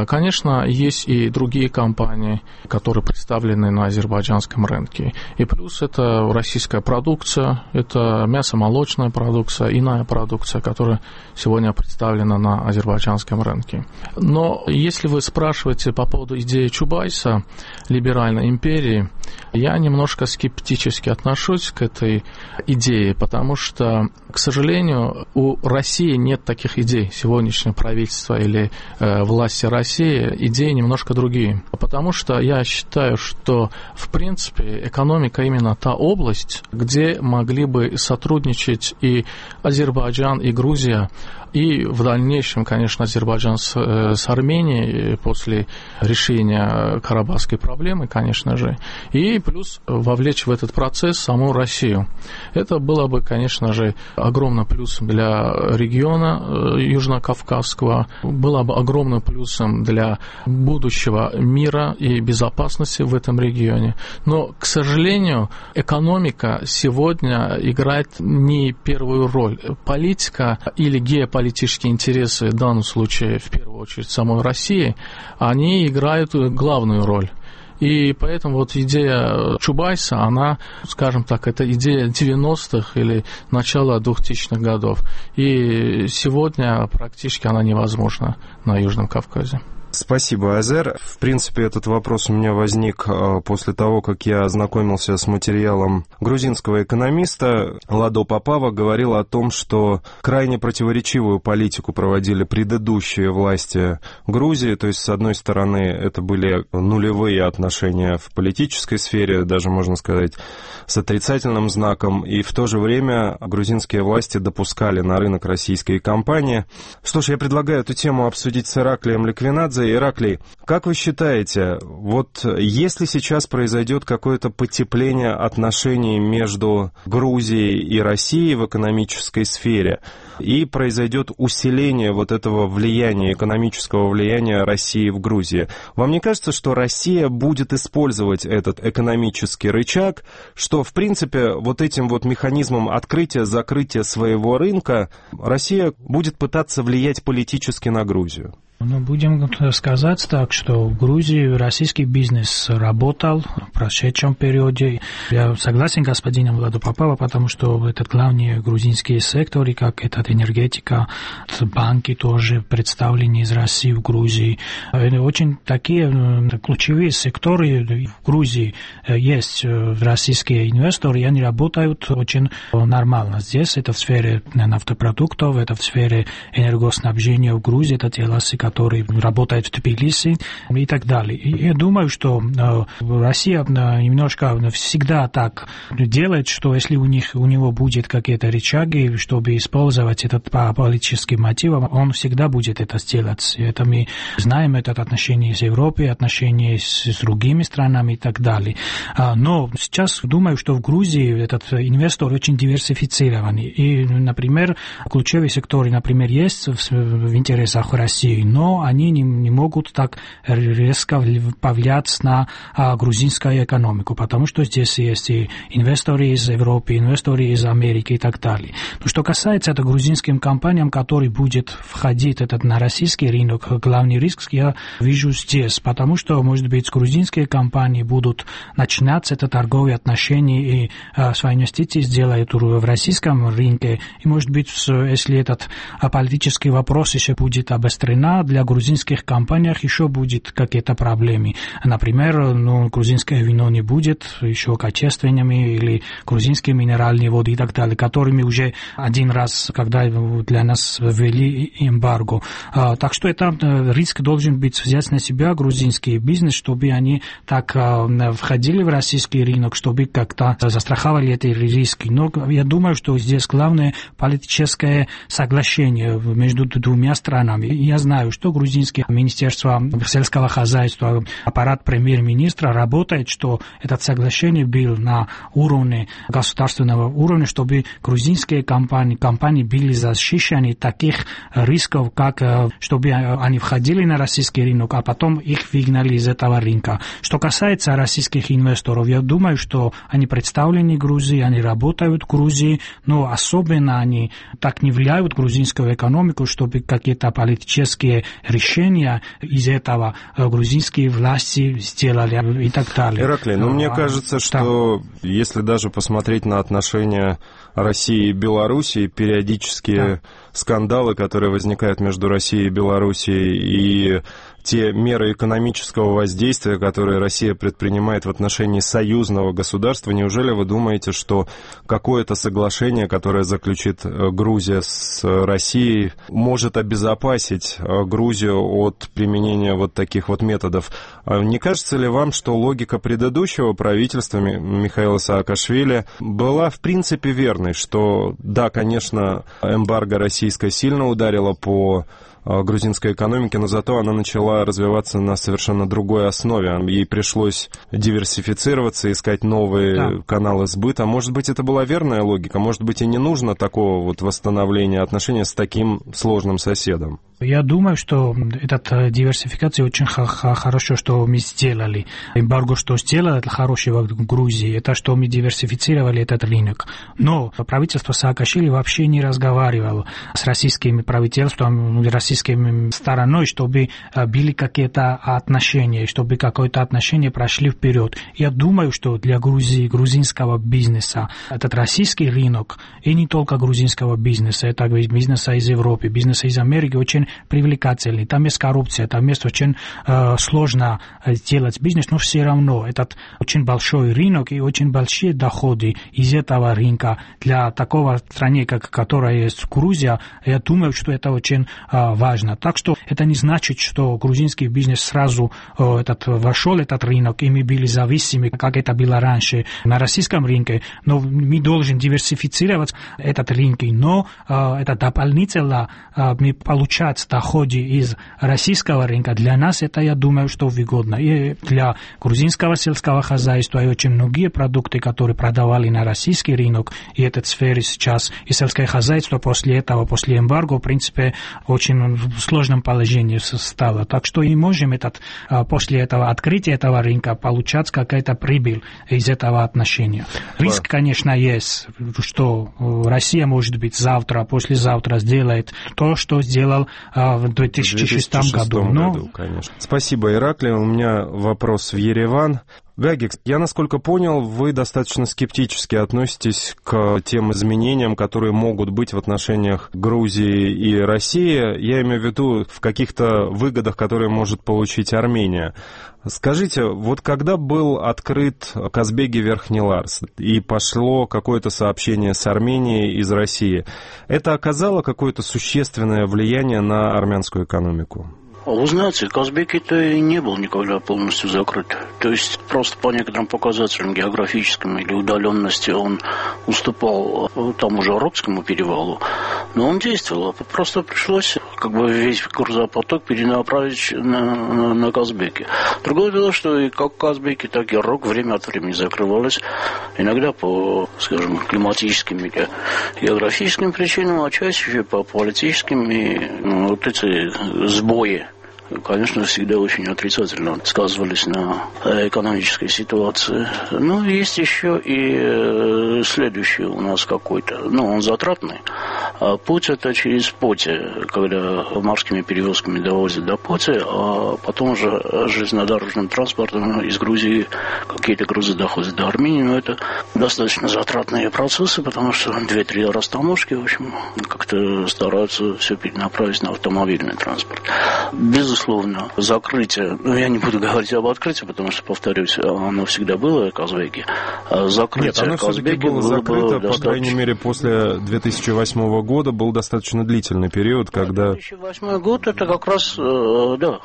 Конечно, есть и другие компании, которые представлены на азербайджанском рынке. И плюс это российская продукция, это мясо-молочная продукция, иная продукция, которая сегодня представлена на азербайджанском рынке. Но если вы спрашиваете по поводу идеи Чубайса, либеральной империи, Я немножко скептически отношусь к этой идее, потому что, к сожалению, у России нет таких идей. Сегодняшнее правительство или власти России идеи немножко другие. Потому что я считаю, что, в принципе, экономика именно та область, где могли бы сотрудничать и Азербайджан, и Грузия, и в дальнейшем, конечно, Азербайджан с Арменией после решения карабахской проблемы, конечно же, и плюс вовлечь в этот процесс саму Россию. Это было бы, конечно же, огромным плюсом для региона Южно-Кавказского, было бы огромным плюсом для будущего мира и безопасности в этом регионе. Но, к сожалению, экономика сегодня играет не первую роль. Политика или геополитические интересы, в данном случае, в первую очередь, самой России, они играют главную роль. И поэтому вот идея Чубайса, она, скажем так, это идея 90-х или начала 2000-х годов. И сегодня практически она невозможна на Южном Кавказе. Спасибо, Азер. В принципе, этот вопрос у меня возник после того, как я ознакомился с материалом грузинского экономиста. Ладо Попава говорил о том, что крайне противоречивую политику проводили предыдущие власти Грузии. То есть, с одной стороны, это были нулевые отношения в политической сфере, даже, можно сказать, с отрицательным знаком. И в то же время грузинские власти допускали на рынок российские компании. Что ж, я предлагаю эту тему обсудить с Ираклием Ликвинадзе. Ираклий, как вы считаете, вот если сейчас произойдет какое-то потепление отношений между Грузией и Россией в экономической сфере, и произойдет усиление вот этого влияния, экономического влияния России в Грузии, вам не кажется, что Россия будет использовать этот экономический рычаг, что, в принципе, вот этим вот механизмом открытия-закрытия своего рынка Россия будет пытаться влиять политически на Грузию? Ну, будем сказать так, что в Грузии российский бизнес работал в прошедшем периоде. Я согласен с господином Ладо Попова, потому что это главные грузинские секторы, как этот энергетика, банки тоже представлены из России в Грузии. Очень такие ключевые секторы в Грузии есть российские инвесторы, и они работают очень нормально. Здесь это в сфере нафтопродуктов, это в сфере энергоснабжения в Грузии, это те ласы, который работает в Тбилиси и так далее. И я думаю, что Россия немножко всегда так делает, что если у него будет какие-то рычаги, чтобы использовать этот по политическим мотивам, он всегда будет это сделать. Это мы знаем, это отношения с Европой, отношения с другими странами и так далее. Но сейчас думаю, что в Грузии этот инвестор очень диверсифицированный. И, например, ключевые секторы, например, есть в интересах России, но они не могут так резко повлиять на грузинскую экономику, потому что здесь есть и инвесторы из Европы, инвесторы из Америки и так далее. Но что касается это грузинским компаниям, которые будет входить на российский рынок, главный риск я вижу здесь, потому что, может быть, грузинские компании будут начинать это торговые отношения и свои инвестиции сделают в российском рынке, и, может быть, если этот политический вопрос еще будет обострен, для грузинских компаниях еще будет какие-то проблемы. Например, грузинское вино не будет еще качественными, или грузинские минеральные воды и так далее, которыми уже один раз, когда для нас ввели эмбарго. Так что это риск должен быть взять на себя грузинский бизнес, чтобы они так входили в российский рынок, чтобы как-то застраховали эти риски. Но я думаю, что здесь главное политическое соглашение между двумя странами. Я знаю, что грузинское министерство сельского хозяйства, аппарат премьер-министра работает, что это соглашение было на уровне государственного уровня, чтобы грузинские компании были защищены таких рисков, как чтобы они входили на российский рынок, а потом их выгнали из этого рынка. Что касается российских инвесторов, я думаю, что они представлены в Грузии, они работают в Грузии, но особенно они так не влияют на грузинскую экономику, чтобы какие-то политические решения из этого грузинские власти сделали и так далее. Ираклий, мне кажется, что если даже посмотреть на отношения России и Белоруссии, периодически скандалы, которые возникают между Россией и Белоруссией, и те меры экономического воздействия, которые Россия предпринимает в отношении союзного государства, неужели вы думаете, что какое-то соглашение, которое заключит Грузия с Россией, может обезопасить Грузию от применения вот таких вот методов? Не кажется ли вам, что логика предыдущего правительства Михаила Саакашвили была в принципе верной, что да, конечно, эмбарго российское сильно ударило по грузинской экономике, но зато она начала развиваться на совершенно другой основе. Ей пришлось диверсифицироваться, искать новые каналы сбыта. Может быть, это была верная логика? Может быть, и не нужно такого вот восстановления отношений с таким сложным соседом? Я думаю, что эта диверсификация очень хорошо, что мы сделали. Эмбарго, что сделало, это хорошего в Грузии, это что мы диверсифицировали этот рынок. Но правительство Саакашвили вообще не разговаривало с российским правительством, российской стороной, чтобы были какие-то отношения, чтобы какое-то отношение прошли вперед. Я думаю, что для Грузии, грузинского бизнеса, этот российский рынок, и не только грузинского бизнеса, это бизнеса из Европы, бизнеса из Америки, очень привлекательный. Там есть коррупция, там есть очень сложно делать бизнес, но все равно этот очень большой рынок и очень большие доходы из этого рынка для такого страны, которая есть Грузия. Я думаю, что это очень важно. Так что это не значит, что грузинский бизнес сразу вошел в этот рынок, и мы были зависимы, как это было раньше на российском рынке. Но мы должны диверсифицировать этот рынок, но это дополнительно мы получаем доходы из российского рынка. Для нас это, я думаю, что выгодно. И для грузинского сельского хозяйства и очень многие продукты, которые продавали на российский рынок, и этой сфере сейчас, и сельское хозяйство после этого, после эмбарго, в принципе, очень в сложном положении стало. Так что и можем после этого открытия этого рынка получать какая-то прибыль из этого отношения. Риск, конечно, есть, что Россия, может быть, завтра, послезавтра сделает то, что сделал в 2006 году. Конечно. Спасибо, Ираклий. У меня вопрос в Ереван. Гагик, я, насколько понял, вы достаточно скептически относитесь к тем изменениям, которые могут быть в отношениях Грузии и России. Я имею в виду в каких-то выгодах, которые может получить Армения. Скажите, вот когда был открыт Казбеги-Верхний Ларс и пошло какое-то сообщение с Арменией из России, это оказало какое-то существенное влияние на армянскую экономику? Вы знаете, Казбеки-то и не был никогда полностью закрыт. То есть просто по некоторым показателям географическим или удаленности он уступал тому же Арабскому перевалу, но он действовал. Просто пришлось весь грузопоток перенаправить на Казбеки. Другое дело, что и как Казбеки, так и Рог время от времени закрывались. Иногда по, скажем, климатическим или географическим причинам, а чаще по политическим. И вот эти сбои, конечно, всегда очень отрицательно сказывались на экономической ситуации. Но есть еще и следующий у нас какой-то, он затратный. Путь это через Поти, когда морскими перевозками довозят до Поти, а потом уже железнодорожным транспортом из Грузии какие-то грузы доходят до Армении. Но это достаточно затратные процессы, потому что 2-3 растаможки, в общем, как-то стараются все перенаправить на автомобильный транспорт. Безусловно, закрытие, я не буду говорить об открытии, потому что, повторюсь, оно всегда было, Казбеки. Закрытие оно все-таки было закрыто, по крайней мере, после 2008 года был достаточно длительный период, когда... 2008 год, это как раз, да,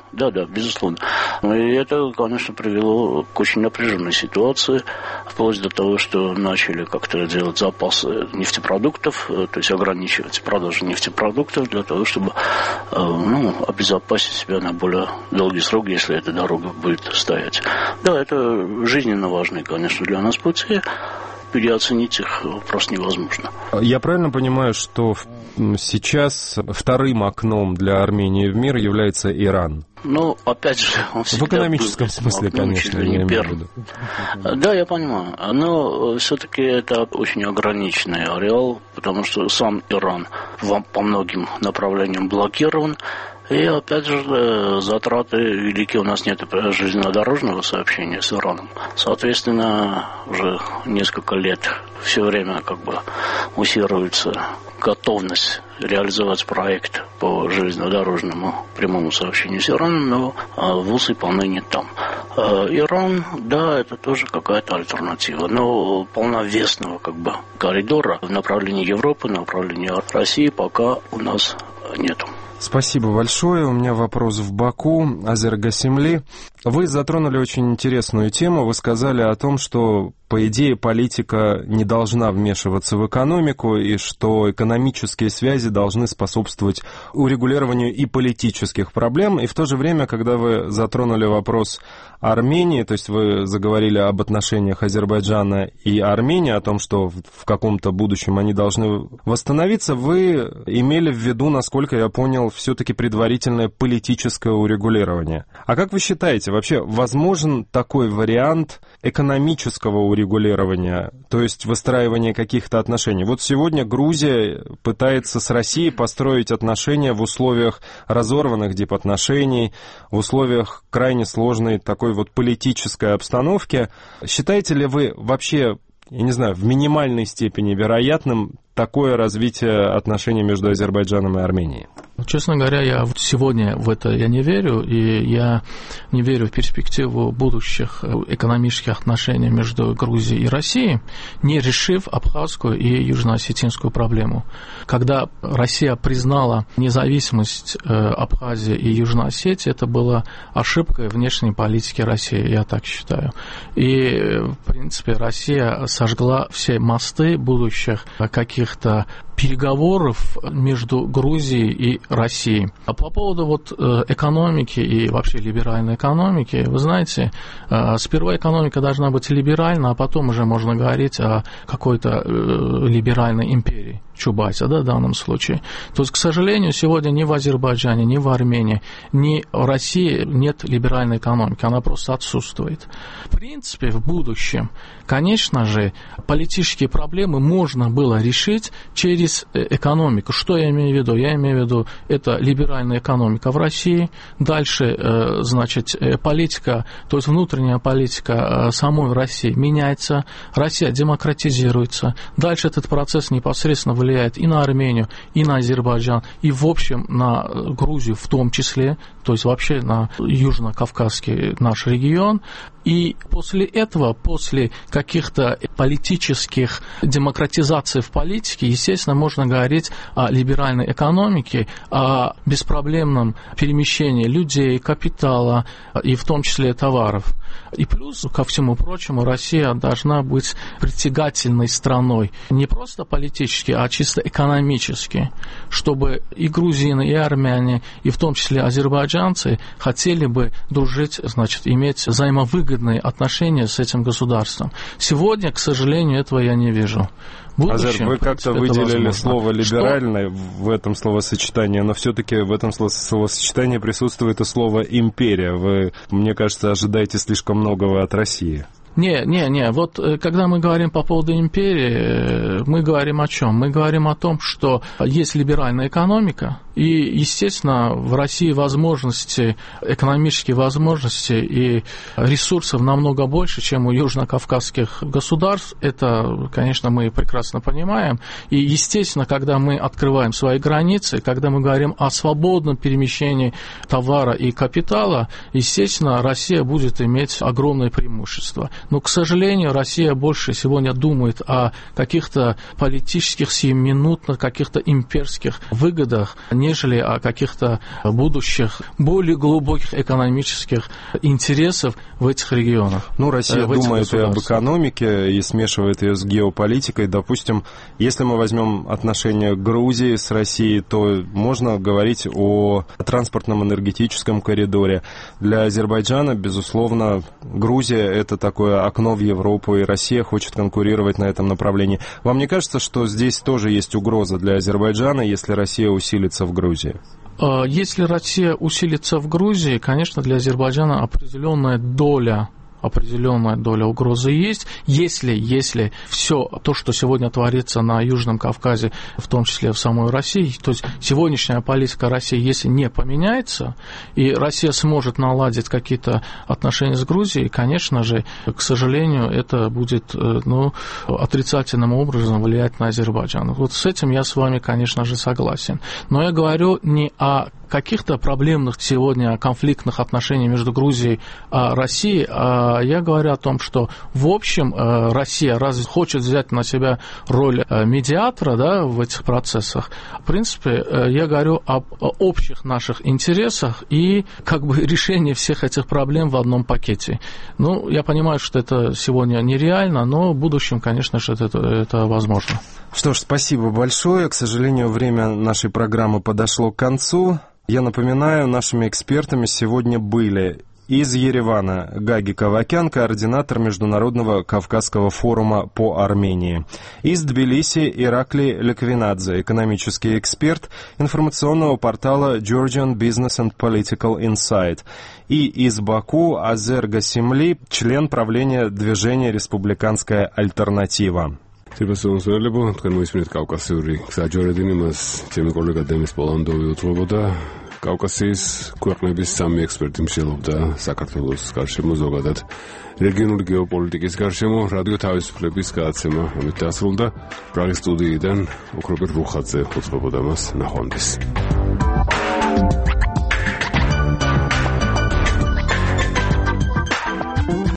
безусловно. И это, конечно, привело к очень напряженной ситуации, вплоть до того, что начали как-то делать запасы нефтепродуктов, то есть ограничивать продажу нефтепродуктов для того, чтобы обезопасить себя на более долгий срок, если эта дорога будет стоять. Да, это жизненно важные, конечно, для нас пути. Переоценить их просто невозможно. Я правильно понимаю, что сейчас вторым окном для Армении в мир является Иран? Опять же, он всегда в экономическом смысле, конечно, я имею в виду. Да, я понимаю. Но все-таки это очень ограниченный ареал, потому что сам Иран по многим направлениям блокирован. И, опять же, затраты велики. У нас нет железнодорожного сообщения с Ираном. Соответственно, уже несколько лет все время муссируется готовность реализовать проект по железнодорожному прямому сообщению с Ираном, но ВУЗ выполнения там. Иран, да, это тоже какая-то альтернатива, но полновесного коридора в направлении Европы, в направлении России пока у нас нету. Спасибо большое. У меня вопрос в Баку. Азер Гасимли. Вы затронули очень интересную тему. Вы сказали о том, что, по идее, политика не должна вмешиваться в экономику, и что экономические связи должны способствовать урегулированию и политических проблем. И в то же время, когда вы затронули вопрос Армении, то есть вы заговорили об отношениях Азербайджана и Армении, о том, что в каком-то будущем они должны восстановиться, вы имели в виду, насколько я понял, все-таки предварительное политическое урегулирование. А как вы считаете, вообще возможен такой вариант экономического урегулирования, то есть выстраивания каких-то отношений? Вот сегодня Грузия пытается с Россией построить отношения в условиях разорванных дипотношений, в условиях крайне сложной такой вот политической обстановки. Считаете ли вы вообще, я не знаю, в минимальной степени вероятным такое развитие отношений между Азербайджаном и Арменией? Честно говоря, я сегодня в это я не верю, и я не верю в перспективу будущих экономических отношений между Грузией и Россией, не решив абхазскую и южно-осетинскую проблему. Когда Россия признала независимость Абхазии и Южной Осетии, это была ошибкой внешней политики России, я так считаю. И, в принципе, Россия сожгла все мосты будущих каких-то переговоров между Грузией и Россией. А по поводу экономики и вообще либеральной экономики, вы знаете, сперва экономика должна быть либеральна, а потом уже можно говорить о какой-то либеральной империи. Чубайса, в данном случае. То есть, к сожалению, сегодня ни в Азербайджане, ни в Армении, ни в России нет либеральной экономики, она просто отсутствует. В принципе, в будущем, конечно же, политические проблемы можно было решить через экономику. Что я имею в виду? Я имею в виду, это либеральная экономика в России, дальше, значит, политика, то есть внутренняя политика самой России меняется, Россия демократизируется, дальше этот процесс непосредственно влияет и на Армению, и на Азербайджан, и в общем на Грузию в том числе, то есть вообще на Южно-Кавказский наш регион. И после этого, после каких-то политических демократизаций в политике, естественно, можно говорить о либеральной экономике, о беспроблемном перемещении людей, капитала и в том числе товаров. И плюс, ко всему прочему, Россия должна быть притягательной страной не просто политически, а чисто экономически, чтобы и грузины, и армяне, и в том числе азербайджанцы хотели бы дружить, значит, иметь взаимовыгодные отношения с этим государством. Сегодня, к сожалению, этого я не вижу. Азер, вы как-то выделили слово «либеральное» в этом словосочетании, но все-таки в этом словосочетании присутствует и слово «империя». Вы, мне кажется, ожидаете слишком многого от России. Не. Вот когда мы говорим по поводу империи, мы говорим о чем? Мы говорим о том, что есть либеральная экономика, и, естественно, в России возможности, экономические возможности и ресурсов намного больше, чем у южно-кавказских государств. Это, конечно, мы прекрасно понимаем. И, естественно, когда мы открываем свои границы, когда мы говорим о свободном перемещении товара и капитала, естественно, Россия будет иметь огромное преимущество. Но, к сожалению, Россия больше сегодня думает о каких-то политических, сиюминутных, каких-то имперских выгодах, нежели о каких-то будущих, более глубоких экономических интересах в этих регионах. Ну, Россия думает и об экономике, и смешивает ее с геополитикой. Допустим, если мы возьмем отношения Грузии с Россией, то можно говорить о транспортном энергетическом коридоре. Для Азербайджана, безусловно, Грузия – это такое окно в Европу, и Россия хочет конкурировать на этом направлении. Вам не кажется, что здесь тоже есть угроза для Азербайджана, если Россия усилится в Грузии? Если Россия усилится в Грузии, конечно, для Азербайджана определенная доля определенная доля угрозы есть. Если все то, что сегодня творится на Южном Кавказе, в том числе в самой России, то есть сегодняшняя политика России, если не поменяется, и Россия сможет наладить какие-то отношения с Грузией, конечно же, к сожалению, это будет отрицательным образом влиять на Азербайджан. Вот с этим я с вами, конечно же, согласен. Но я говорю не о каких-то проблемных сегодня конфликтных отношениях между Грузией и Россией, а я говорю о том, что в общем Россия разве хочет взять на себя роль медиатора, да, в этих процессах. В принципе, я говорю об общих наших интересах и как бы решении всех этих проблем в одном пакете. Я понимаю, что это сегодня нереально, но в будущем, конечно же, это возможно. Что ж, спасибо большое. К сожалению, время нашей программы подошло к концу. Я напоминаю, нашими экспертами сегодня были из Еревана Гаги Кавакян, координатор Международного Кавказского форума по Армении. Из Тбилиси Иракли Леквинадзе, экономический эксперт информационного портала Georgian Business and Political Insight. И из Баку Азер Гасимли, член правления движения «Республиканская альтернатива». Სიბასონსოლებო, თქვენ მოისმინეთ კავკასიური გზაჯვარედინი, მას ჩემი კოლეგა დემის პოლანდოვი უძღვებოდა. კავკასიის ქვეყნების 3 ექსპერტი მსჯელობდა საქართველოს გარშემო, ზოგადად რეგიონული გეოპოლიტიკის გარშემო. რადიო თავისუფლების გადაცემა ამით დასრულდა. პრაღის სტუდიიდან ოქროპერ რუხაძე უძღვებოდა მას. ნახვამდის.